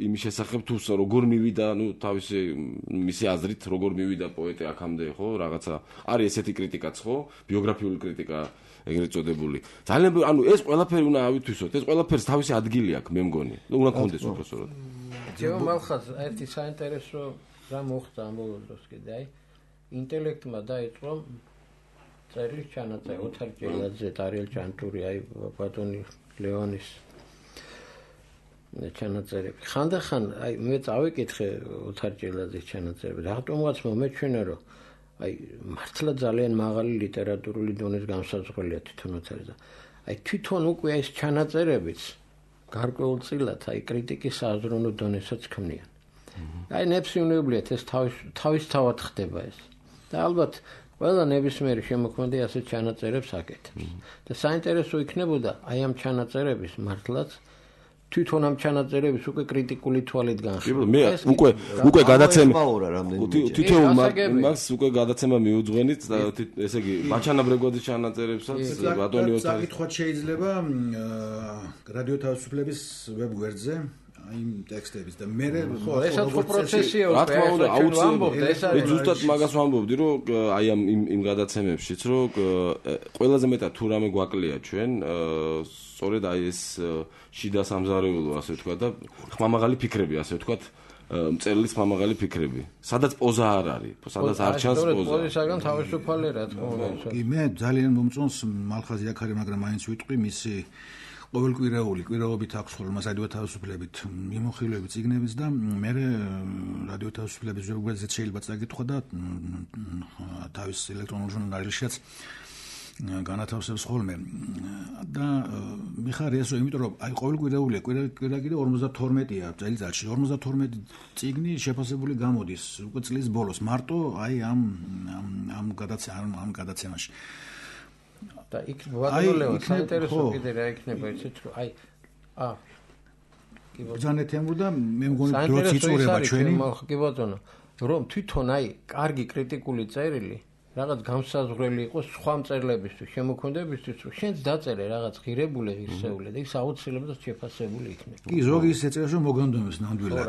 S2: იმის შესახებ თუ როგორ მივიდა, ნუ თავისი მისი აზრით როგორ მივიდა პოეტი აქამდე, ხო? რაღაცა არის ესეთი კრიტიკაც, ხო? ბიოგრაფიული კრიტიკა ეგრეთ წოდებული. ძალიან ანუ ეს ყველაფერი უნდა ავითვისოთ. ეს ყველაფერს თავისი ადგილი აქვს, მე მგონი. უნდა გქონდეს უბრალოდ.
S4: ჯერ მალხაც ერთი საინტერესო რა მოხდა ამ ბოლო დროს კიდე, აი ინტელექტმა დაიწყო წერილ ჩანაწერი ოთარ ჭელაძე, დარიელ ჯანტური, აი ბატონი ლეონის ჩანაწერები. ხანდახან აი მე წავიკითხე ოთარ ჭელაძის ჩანაწერები. რატომღაც მომეჩვენა რომ აი მართლა ძალიან მაღალი ლიტერატურული დონის გამსაზღვრელია თვითონ ოთარზე. აი თვითონ უკვე ეს ჩანაწერებიც გარკვეულწილად აი კრიტიკის საზრუნო დონესაც ქმნიან. აი ნებსიუნებლიათ ეს თავისთავად ხდება ეს. და ალბათ ყველა ნებისმიერი შემოქმედი ასე ჩანაწერებს აკეთებს. და საინტერესო იქნებოდა აი ამ ჩანაწერების მართლაც თვითონ ამ ჩანაწერების უკვე კრიტიკული თვალით განხილვა.
S2: მე უკვე გადაცემა თითოეულ
S3: მას
S2: უკვე გადაცემა მიუძღვენით და ესე იგი ბაჩანაბრეგოდის ჩანაწერებსაც ბატონი ოთარი
S1: საკითხად შეიძლება რადიო თავისუფლების ვებგვერდზე იმ ტექსტების და მე
S4: ხო ესაც ხო პროცესია
S2: რა თქმა უნდა აუცილებლად მე ზუსტად მაგას ვამბობდი რომ აი ამ იმ გადაცემებშიც რომ ყველაზე მეტად თუ რამე გვაკლია ჩვენ სწორედ აი ეს შიდა სამზარეულო ასე ვთქვა და ხმამაღალი ფიქრები ასე ვთქვა მწერლის ხმამაღალი ფიქრები სადაც პოზა არ არის სადაც არ ჩანს პოზა
S4: პოზისაგან თავისუფალი რა თქმა უნდა
S1: კი მე ძალიან მომწონს მალხაზი აქარი მაგრამ მაინც ვიტყვი მისი ყოველკვირეული კვირაობით აქვს ხოლმე რადიო თავისუფლებით მიმოხილვები წიგნების და მე რადიო თავისუფლების ვებგვერდზე შეიძლება წაკითხვა და თავის ელექტრონულ ჟურნალშიც განათავსებს ხოლმე და მიხარი ესო იმიტომ რომ აი ყოველკვირეულია კვირა კიდე 52-ია წელიწადში 52 წიგნი შეფასებული გამოდის უკვე წლის ბოლოს მარტო აი ამ გადაცემაში
S4: და იქ ვადოლეო საინტერესო კიდე რა იქნება იცით რომ აი
S1: ბრძანეთ ემბუდა მე მგონი დროც იწურება ჩვენი
S4: კი ბატონო რომ თვითონ აი კარგი კრიტიკული წერილი რაღაც გამსაზღვრელი იყოს სხვა მწერლებისთვის შემოქმედებისთვის რომ შენც დაწერე რაღაც ღირებული ღირსეული და ის აუცილებლად შეფასებული იქნება
S1: კი ზოგი ისე წერს რომ მოგონდომებს ნამდვილად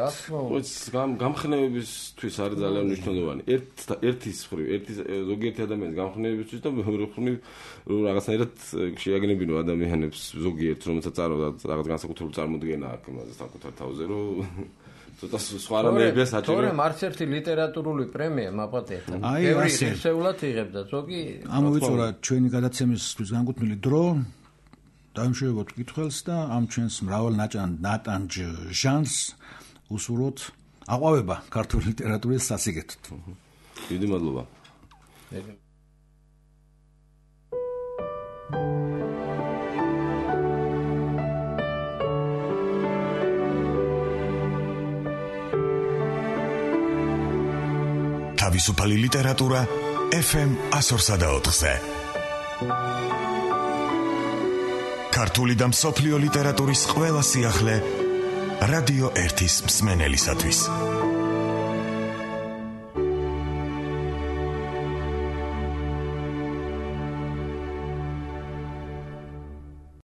S2: გამხნევებისთვის არის ძალიან მნიშვნელოვანი ერთის მხრივ ზოგიერთი ადამიანის გამხნევებისთვის და მეორე მხრივ რომ რაღაცნაირად შეაგნებინო ადამიანებს ზოგიერთ რომელსაც წარავდა რაღაც განსაკუთრებული წარმოდგენა აქვს იმაზე საკუთარ თავზე რომ ცოტა სხვა რამეებია საჭირო.
S4: თორემ არც ერთი ლიტერატურული პრემია მაპატიეთ. ბევრი ისეულად იღებდა, ზოგი
S1: ამოვიწურა ჩვენი გადაცემისთვის განკუთვნილი დრო. დაიმშვიდობოთ კითხველს და ამ ჩვენს მრავალ ნატანჯ ჟანს უსურვოთ აყვავება ქართული ლიტერატურის სასიგეთოდ.
S2: დიდი მადლობა.
S10: თავისუფალი ლიტერატურა FM 104-ზე. ქართული და მსოფლიო ლიტერატურის ყველა სიახლე რადიო 1-ის მსმენელისათვის.